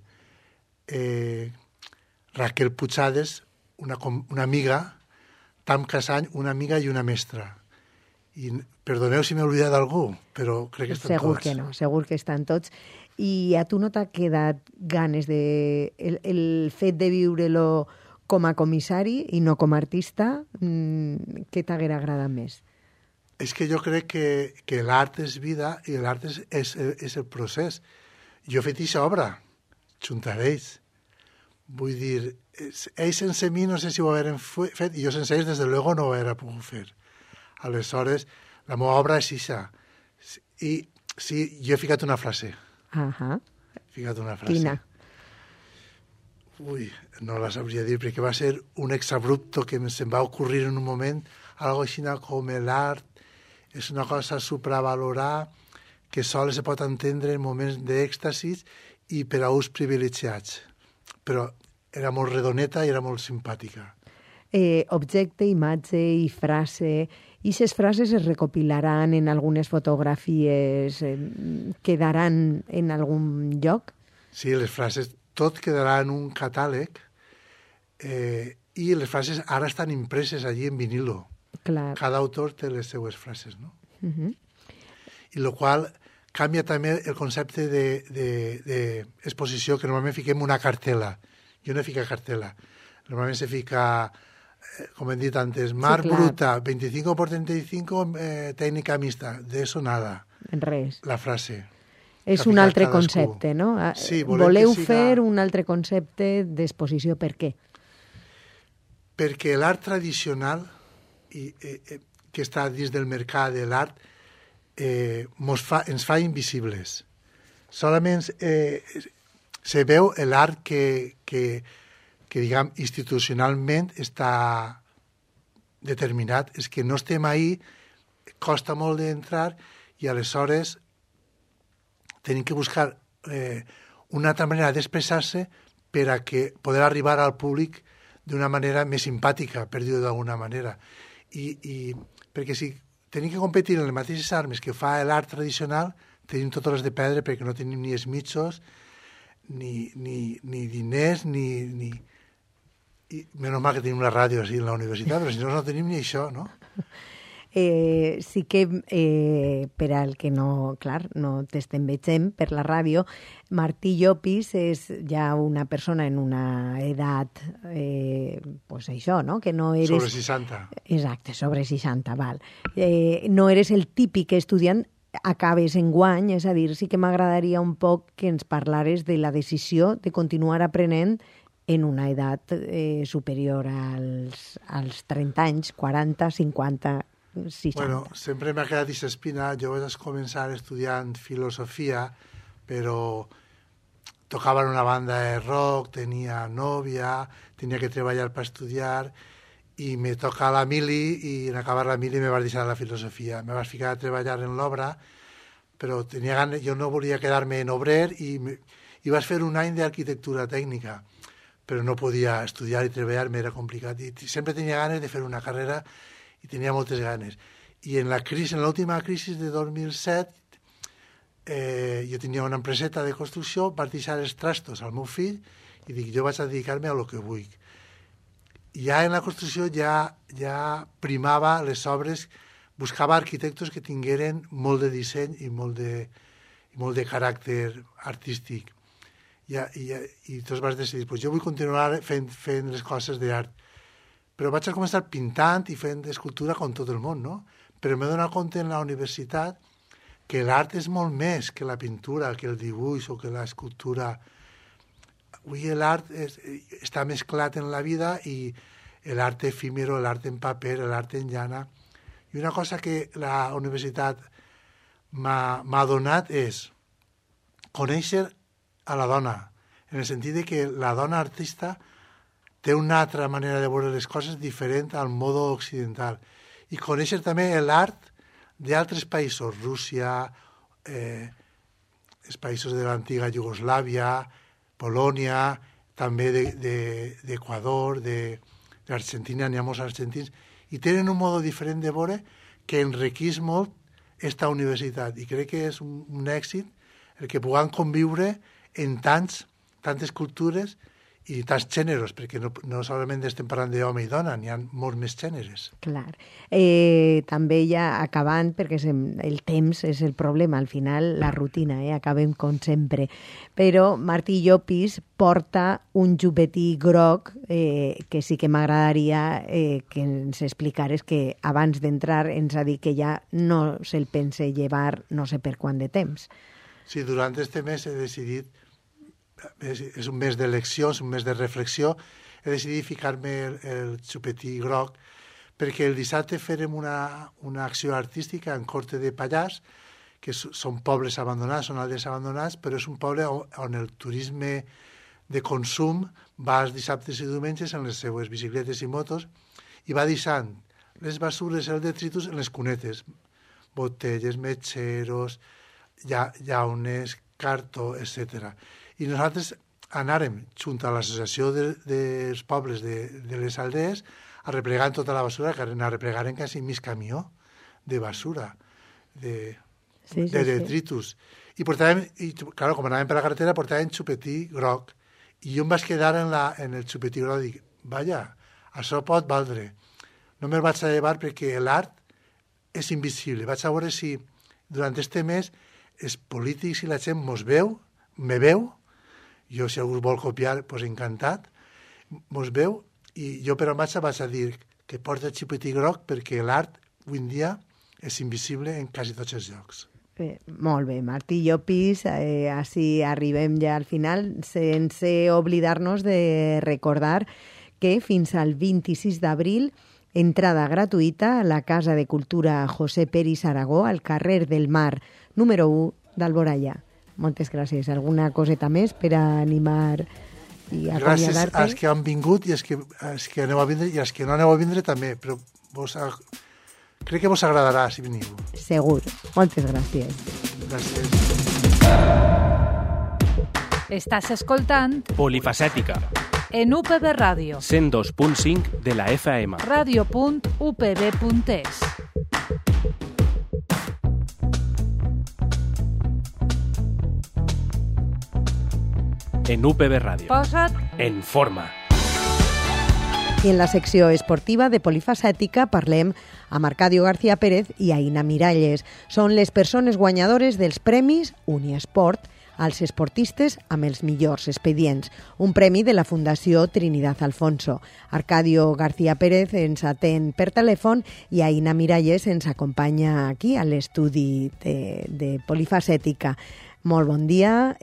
Raquel Puigades, una amiga. Tam Casany, una amiga i una mestra. I perdoneu si m'he oblidat d'algú, però crec que estan segur tots. Que no, segur que estan tots. I a tu no t'ha quedat ganes de... El fet de viure-lo com a comissari i no com a artista, què t'haguera agradat més? És que jo crec que l'art és vida i l'art és el procés. Jo he fet aquesta obra, junt a ells. Vull dir, ells sense mi no sé si ho hagueren fet, i jo sense ells, des de luego, no ho hauria pogut fer. Aleshores, la meva obra és això. I sí, jo he ficat una frase. He ficat una frase. Quina? Ui, no la sabria dir, perquè va ser un exabrupto que se'm va ocurrir en un moment, algo així com l'art és una cosa a supravalorar que sols se pot entendre en moments d'èxtasis i per a ús privilegiats. Però era molt redoneta i era molt simpàtica. Objecte, imatge i frase. I aquestes frases es recopilaran en algunes fotografies, quedaran en algun lloc? Sí, les frases, tot quedarà en un catàleg i les frases ara estan impreses allí en vinilo. Clar. Cada autor té les seues frases, no? I el qual canvia també el concepte d'exposició, que normalment fiquem una cartela. Jo no fico cartela. Normalment se fica, com hem dit antes, mar bruta, 25 por 35, tècnica mixta. De eso nada. Res. La frase. És un altre concepte, no? Sí, voleu fer un altre concepte d'exposició. Per què? Perquè l'art tradicional que està dins del mercat de l'art ens fa invisibles. Solament se veu l'art que que diguem, institucionalment està determinat. És que no estem ahí, costa molt d'entrar i aleshores tenim que buscar una altra manera d'expressar-se per a que poder arribar al públic d'una manera més simpàtica, per dir-ho d'alguna manera. I perquè si tenim que competir en les mateixes armes que fa l'art tradicional, tenim totes les de perdre perquè no tenim ni els mitjos, ni diners, ni... I menys mal que tenim una ràdio així en la universitat, però si no tenim ni això, no? Sí que per al que no, clar, no t'estem veient per la ràdio, Martí Llopis és ja una persona en una edat, pues això, no? Que no eres... Sobre 60. Exacte, sobre 60, val. No eres el típic estudiant, acabes en guany, és a dir, sí que m'agradaria un poc que ens parlares de la decisió de continuar aprenent en una edat superior als 30 anys, 40, 50, 60. Bueno, sempre m'ha quedat aquesta espina. Jo vaig començar estudiant filosofia, però tocava en una banda de rock, tenia nòvia, tenia que treballar per estudiar, i me toca la mili, i en acabar la mili me vaig deixar la filosofia. Me vaig ficar a treballar en l'obra, però tenia ganes, jo no volia quedar-me en obrer, i vaig fer un any d'arquitectura tècnica, però no podia estudiar i treballar, m'era complicat. I sempre tenia ganes de fer una carrera i tenia moltes ganes. I en l'última crisi de 2007, jo tenia una empreseta de construcció, vaig deixar els trastos al meu fill i dic, jo vaig a dedicar-me a lo que vull. Ja en la construcció ja primava les obres, buscava arquitectos que tingueren molt de disseny i molt de caràcter artístic. I tots vas decidir, pues jo vull continuar fent les coses d'art. Però vaig a començar pintant i fent escultura com tot el món, no? Però m'he donat compte en la universitat que l'art és molt més que la pintura, que el dibuix o que l'escultura. Avui l'art està mesclat en la vida, i l'art efímero, l'art en paper, l'art en llana. I una cosa que la universitat m'ha donat és conèixer a la dona, en el sentit de que la dona artista té una altra manera de veure les coses diferent al modo occidental. I conèixer també l'art d'altres països, Rússia, els països de l'antiga Iugoslàvia, Polònia, també d'Equador, d'Argentina, n'hi ha molts argentins, i tenen un modo diferent de veure que enriqueix molt esta universitat. I crec que és un èxit el que puguem conviure en tantes cultures i tants gèneres, perquè no solament estem parlant d'home i dona, n'hi ha molts més gèneres. Clar. També ja acabant, perquè el temps és el problema, al final la rutina, acabem com sempre. Però Martí Llopis porta un jupetí groc que sí que m'agradaria que ens explicares, que abans d'entrar ens ha dit que ja no se'l pense llevar no sé per quant de temps. Sí, durant este mes he decidit, és un mes d'elecció, és un mes de reflexió, he decidit ficar-me el xupetí groc, perquè el dissabte farem una acció artística en Corte de Pallars, que són pobles abandonats, són alders abandonats, però és un poble on el turisme de consum va els dissabtes i diumenges en les seues bicicletes i motos i va deixant les basures, el detritus, en les cunetes, botelles, metxeros, llaunes, cartó, etc. I nosaltres anàrem, junt a l'associació dels pobles de les aldees, a replegar tota la basura, que a replegar en quasi mig camió de basura, de detritus. I portàvem, claro, com anàvem per la carretera, portàvem xupetí groc. I jo em vaig quedar en el xupetí groc i dic, vaja, això pot valdre. No me'l vaig a llevar perquè l'art és invisible. Vaig a veure si durant este mes els polítics i la gent me veu, jo si algú vol copiar, doncs encantat, mos veu, i jo per on vaig a dir que porta el xupetí groc perquè l'art avui en dia és invisible en quasi tots els llocs. Molt bé, Martí Llopis, així arribem ja al final, sense oblidar-nos de recordar que fins al 26 d'abril entrada gratuïta a la Casa de Cultura José Peris Aragó, al carrer del Mar, número 1 d'Alboraya. Moltes gràcies. Alguna coseta més per a animar i gràcies acomiadar-te. als que han vingut i als que aneu a vindre i als que no aneu a vindre també, però crec que vos agradarà si veniu. Segur. Moltes gràcies. Gràcies. Estàs escoltant Polifacètica, en UPB Ràdio. 102.5 de la FM. Radio.upb.es. En UPB Ràdio. Posa't En forma. I en la secció esportiva de Polifacètica parlem amb Arcadio García Pérez i Aina Miralles. Són les persones guanyadores dels premis Uniesport als esportistes amb els millors expedients, un premi de la Fundació Trinidad Alfonso. Arcadio García Pérez ens atén per telèfon i Aina Miralles ens acompanya aquí a l'estudi de Polifacètica. Molt bon dia.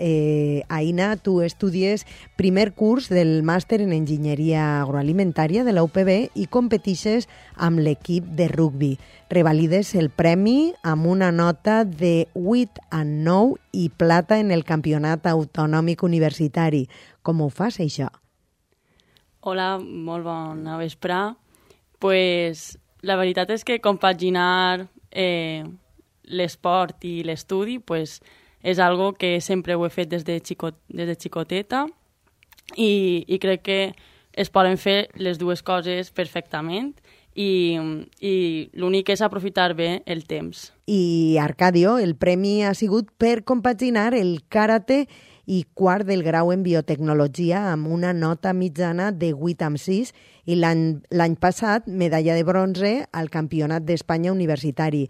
Aina, tu estudies primer curs del màster en Enginyeria Agroalimentària de la UPB i competixes amb l'equip de rugbi. Revalides el premi amb una nota de 8/9 i plata en el Campionat Autonòmic Universitari. Com ho fas, això? Hola, molt bona vesprà. Pues, la veritat és que compaginar l'esport i l'estudi pues, és algo que sempre ho he fet des de xicoteta i crec que es poden fer les dues coses perfectament i l'únic és aprofitar bé el temps. I, Arcadio, el premi ha sigut per compaginar el karate i quart del grau en biotecnologia amb una nota mitjana de 8/6 i l'any passat medalla de bronze al Campionat d'Espanya Universitari.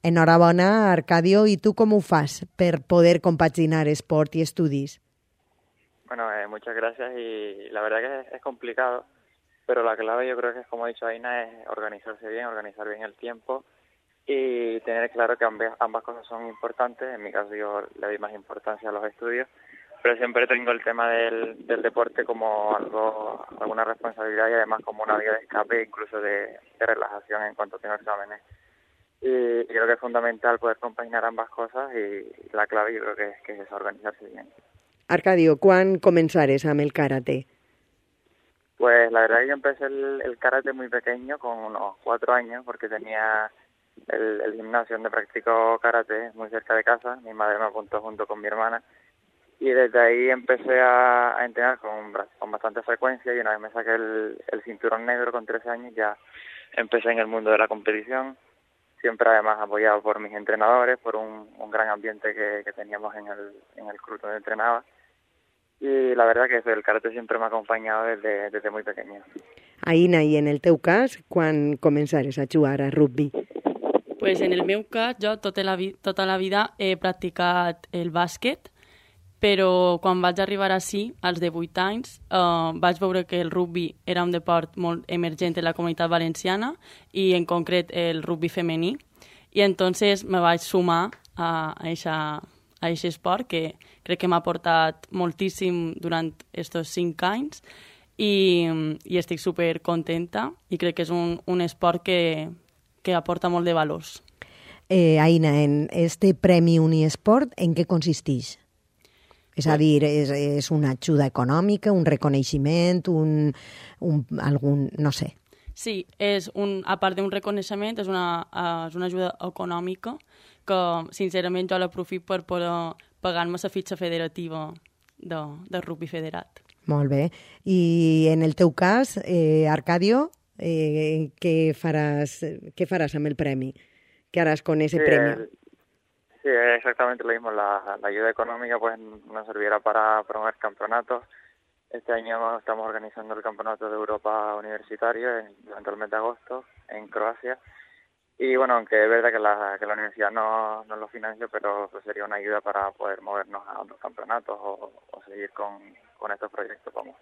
Enhorabona, Arcadio. ¿Y tú cómo fas per poder compaginar esport y estudis? Bueno, muchas gracias y la verdad que es complicado, pero la clave yo creo que es, como ha dicho Aina, es organizarse bien, organizar bien el tiempo y tener claro que ambas cosas son importantes. En mi caso yo le doy más importancia a los estudios, pero siempre tengo el tema del deporte como alguna responsabilidad y además como una vía de escape, incluso de relajación en cuanto tengo exámenes. Y creo que es fundamental poder compaginar ambas cosas y la clave yo creo que es organizarse bien. Arcadio, ¿cuán comenzares amb el karate? Pues la verdad que yo empecé el karate muy pequeño, con unos 4 años, porque tenía el gimnasio donde practico karate muy cerca de casa. Mi madre me apuntó junto con mi hermana y desde ahí empecé a entrenar con bastante frecuencia y una vez me saqué el cinturón negro con 13 años ya empecé en el mundo de la competición. Siempre además apoyado por mis entrenadores, por un gran ambiente que teníamos en el club donde entrenaba. Y la verdad que el karate siempre me ha acompañado desde muy pequeño. Aina, i en el teu cas, quan començares a jugar a rugby? Pues en el meu cas, jo tota la vida he practicat el bàsquet, però quan vaig arribar ací, als 18 anys, vaig veure que el rugby era un deport molt emergent en la comunitat valenciana i en concret el rugby femení, i entonces me vaig sumar a aquest esport que crec que m'ha aportat moltíssim durant aquests 5 anys i estic super contenta i crec que és un esport que aporta molt de valors. Aina, en este Premi Uniesport, en què consisteix? És a dir, és una ajuda econòmica, un reconeixement, algun, no sé. Sí, a part d'un reconeixement, és una ajuda econòmica que, sincerament, jo l'aprofito per poder pagar-me la fitxa federativa de rugby federat. Molt bé. I en el teu cas, Arcadio, què faràs amb el premi? ¿Qué harás con ese premio? Sí, exactamente lo mismo. La ayuda económica pues nos servirá para promover campeonatos. Este año estamos organizando el Campeonato de Europa Universitario durante el mes de agosto en Croacia. Y bueno, aunque es verdad que la universidad no lo financia, pero pues sería una ayuda para poder movernos a otros campeonatos o seguir con estos proyectos. Vamos.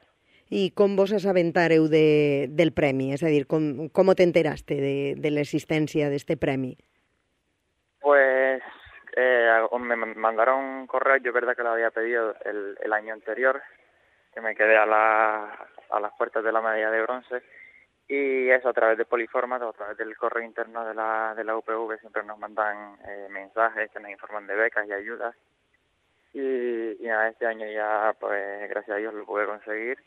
I com vos assabentareu del premi? És a dir, com t'enteraste de l'existència d'este premi? Pues me mandaron un correo, yo es verdad que lo había pedido el año anterior, que me quedé a las puertas de la medalla de bronce, y eso a través de Poliformat, a través del correo interno de la UPV, siempre nos mandan mensajes que nos informan de becas y ayudas. Y nada, este año ya, pues gracias a Dios lo pude conseguir,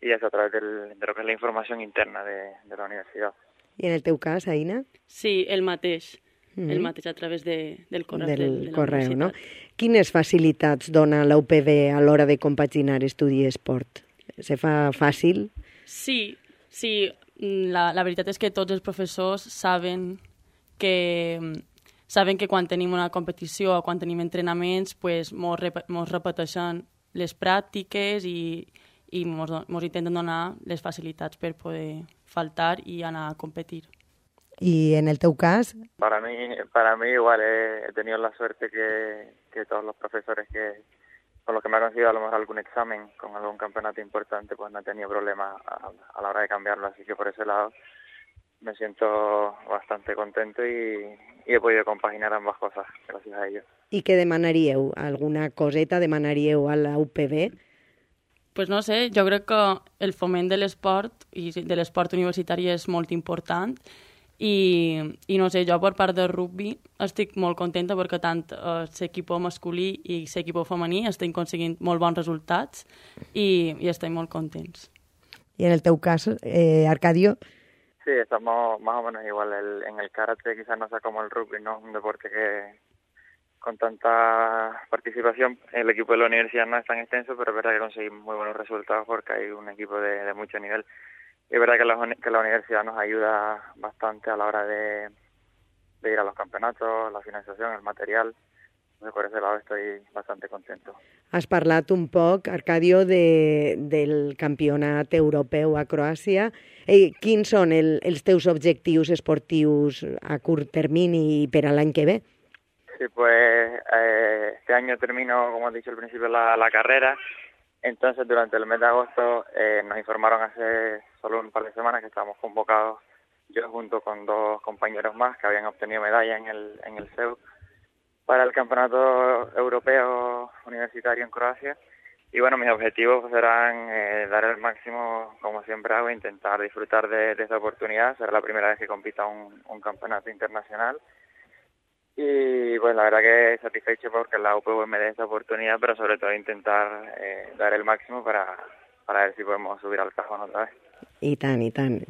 y eso a través de lo que es la información interna de la universidad. I en el teu cas, Aina? Sí, el mateix. El mateix a través del correu de la correu, universitat. no? Quines facilitats dona la UPB a l'hora de compaginar estudi i esport? Se fa fàcil? Sí. La veritat és que tots els professors saben que quan tenim una competició o quan tenim entrenaments, pues, mos repeteixen les pràctiques i mos intenten donar les facilitats per poder faltar i anar a competir. ¿Y en el teu cas? Para mí igual he tenido la suerte que todos los profesores con los que me han conseguido a lo mejor algún examen con algún campeonato importante, pues no he tenido problema a la hora de cambiarlo, así que por ese lado me siento bastante contento y he podido compaginar ambas cosas gracias a ellos. I què demanaríeu? Alguna coseta demanaríeu a la UPB? Pues no sé, jo crec que el foment de l'esport i de l'esport universitari és molt important i no sé, jo per part del rugby estic molt contenta perquè tant l'equip masculí i l'equip femení estem aconseguint molt bons resultats i estem molt contents. I en el teu cas, Arcadio? Sí, estamos más o menos igual. En el karate quizás no sea como el rugby, ¿no? Un deporte que con tanta participación, el equipo de la universidad no es tan extenso, pero es verdad que conseguimos muy buenos resultados porque hay un equipo de mucho nivel. Y es verdad que la universidad nos ayuda bastante a la hora de ir a los campeonatos, la financiación, el material. Entonces, por ese lado estoy bastante contento. Has parlat un poc, Arcadio, del campionat europeu a Croàcia. Quins són els teus objectius esportius a curt termini i per a l'any que ve? Sí, pues este año termino, como he dicho al principio, la carrera. Entonces, durante el mes de agosto nos informaron hace solo un par de semanas que estábamos convocados, yo junto con 2 compañeros más que habían obtenido medalla en el CEU, para el Campeonato Europeo Universitario en Croacia. Y bueno, mis objetivos serán dar el máximo, como siempre hago, intentar disfrutar de esta oportunidad. Será la primera vez que compita un campeonato internacional. Y pues la verdad que satisfecho porque la UPV me dé esta oportunidad, pero sobre todo intentar dar el máximo para ver si podemos subir al cajón otra vez. I tant, i tant.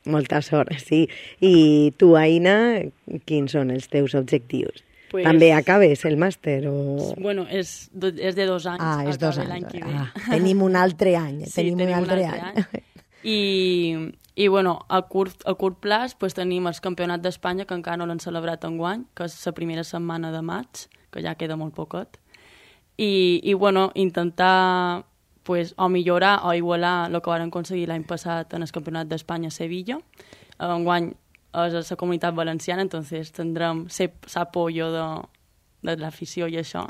Molta sort, sí. I tu, Aina, quins són els teus objectius? Pues, també acabes el màster? O... Bueno, és de 2 anys. Ah, és 2 anys. L'any que ve. Tenim un altre any. Sí, tenim un altre any. I bueno, a curt plaç pues, tenim el Campionat d'Espanya, que encara no l'han celebrat enguany, que és la primera setmana de maig, que ja queda molt poquet. I bueno, intentar pues, o millorar o igualar el que vam aconseguir l'any passat en el Campionat d'Espanya a Sevilla. Enguany és la Comunitat Valenciana, entonces tindrem l'apoyo de l'afició i això.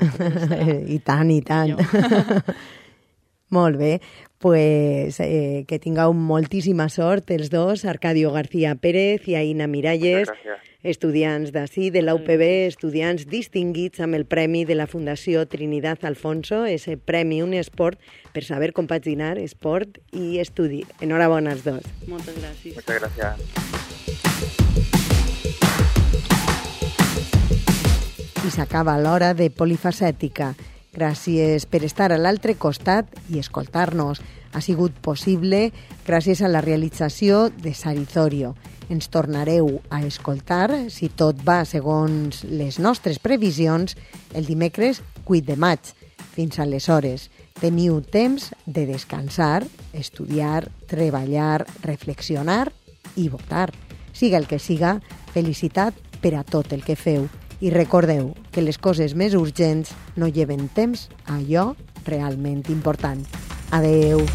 I tant, i tant. Molt bé, pues que tingueu moltíssima sort els dos, Arcadio García Pérez i Aina Miralles, estudiants d'ací, de la UPB, estudiants distinguits amb el premi de la Fundació Trinidad Alfonso, ese premi Unesport, per saber compaginar esport i estudi. Enhorabona als dos. Moltes gràcies. Muchas gracias. I s'acaba l'hora de Polifacètica. Gràcies per estar a l'altre costat i escoltar-nos. Ha sigut possible gràcies a la realització de Sarizorio. Ens tornareu a escoltar, si tot va segons les nostres previsions, el dimecres 8 de maig. Fins aleshores, teniu temps de descansar, estudiar, treballar, reflexionar i votar. Siga el que siga, felicitat per a tot el que feu. I recordeu que les coses més urgents no lleven temps a allò realment important. Adeu.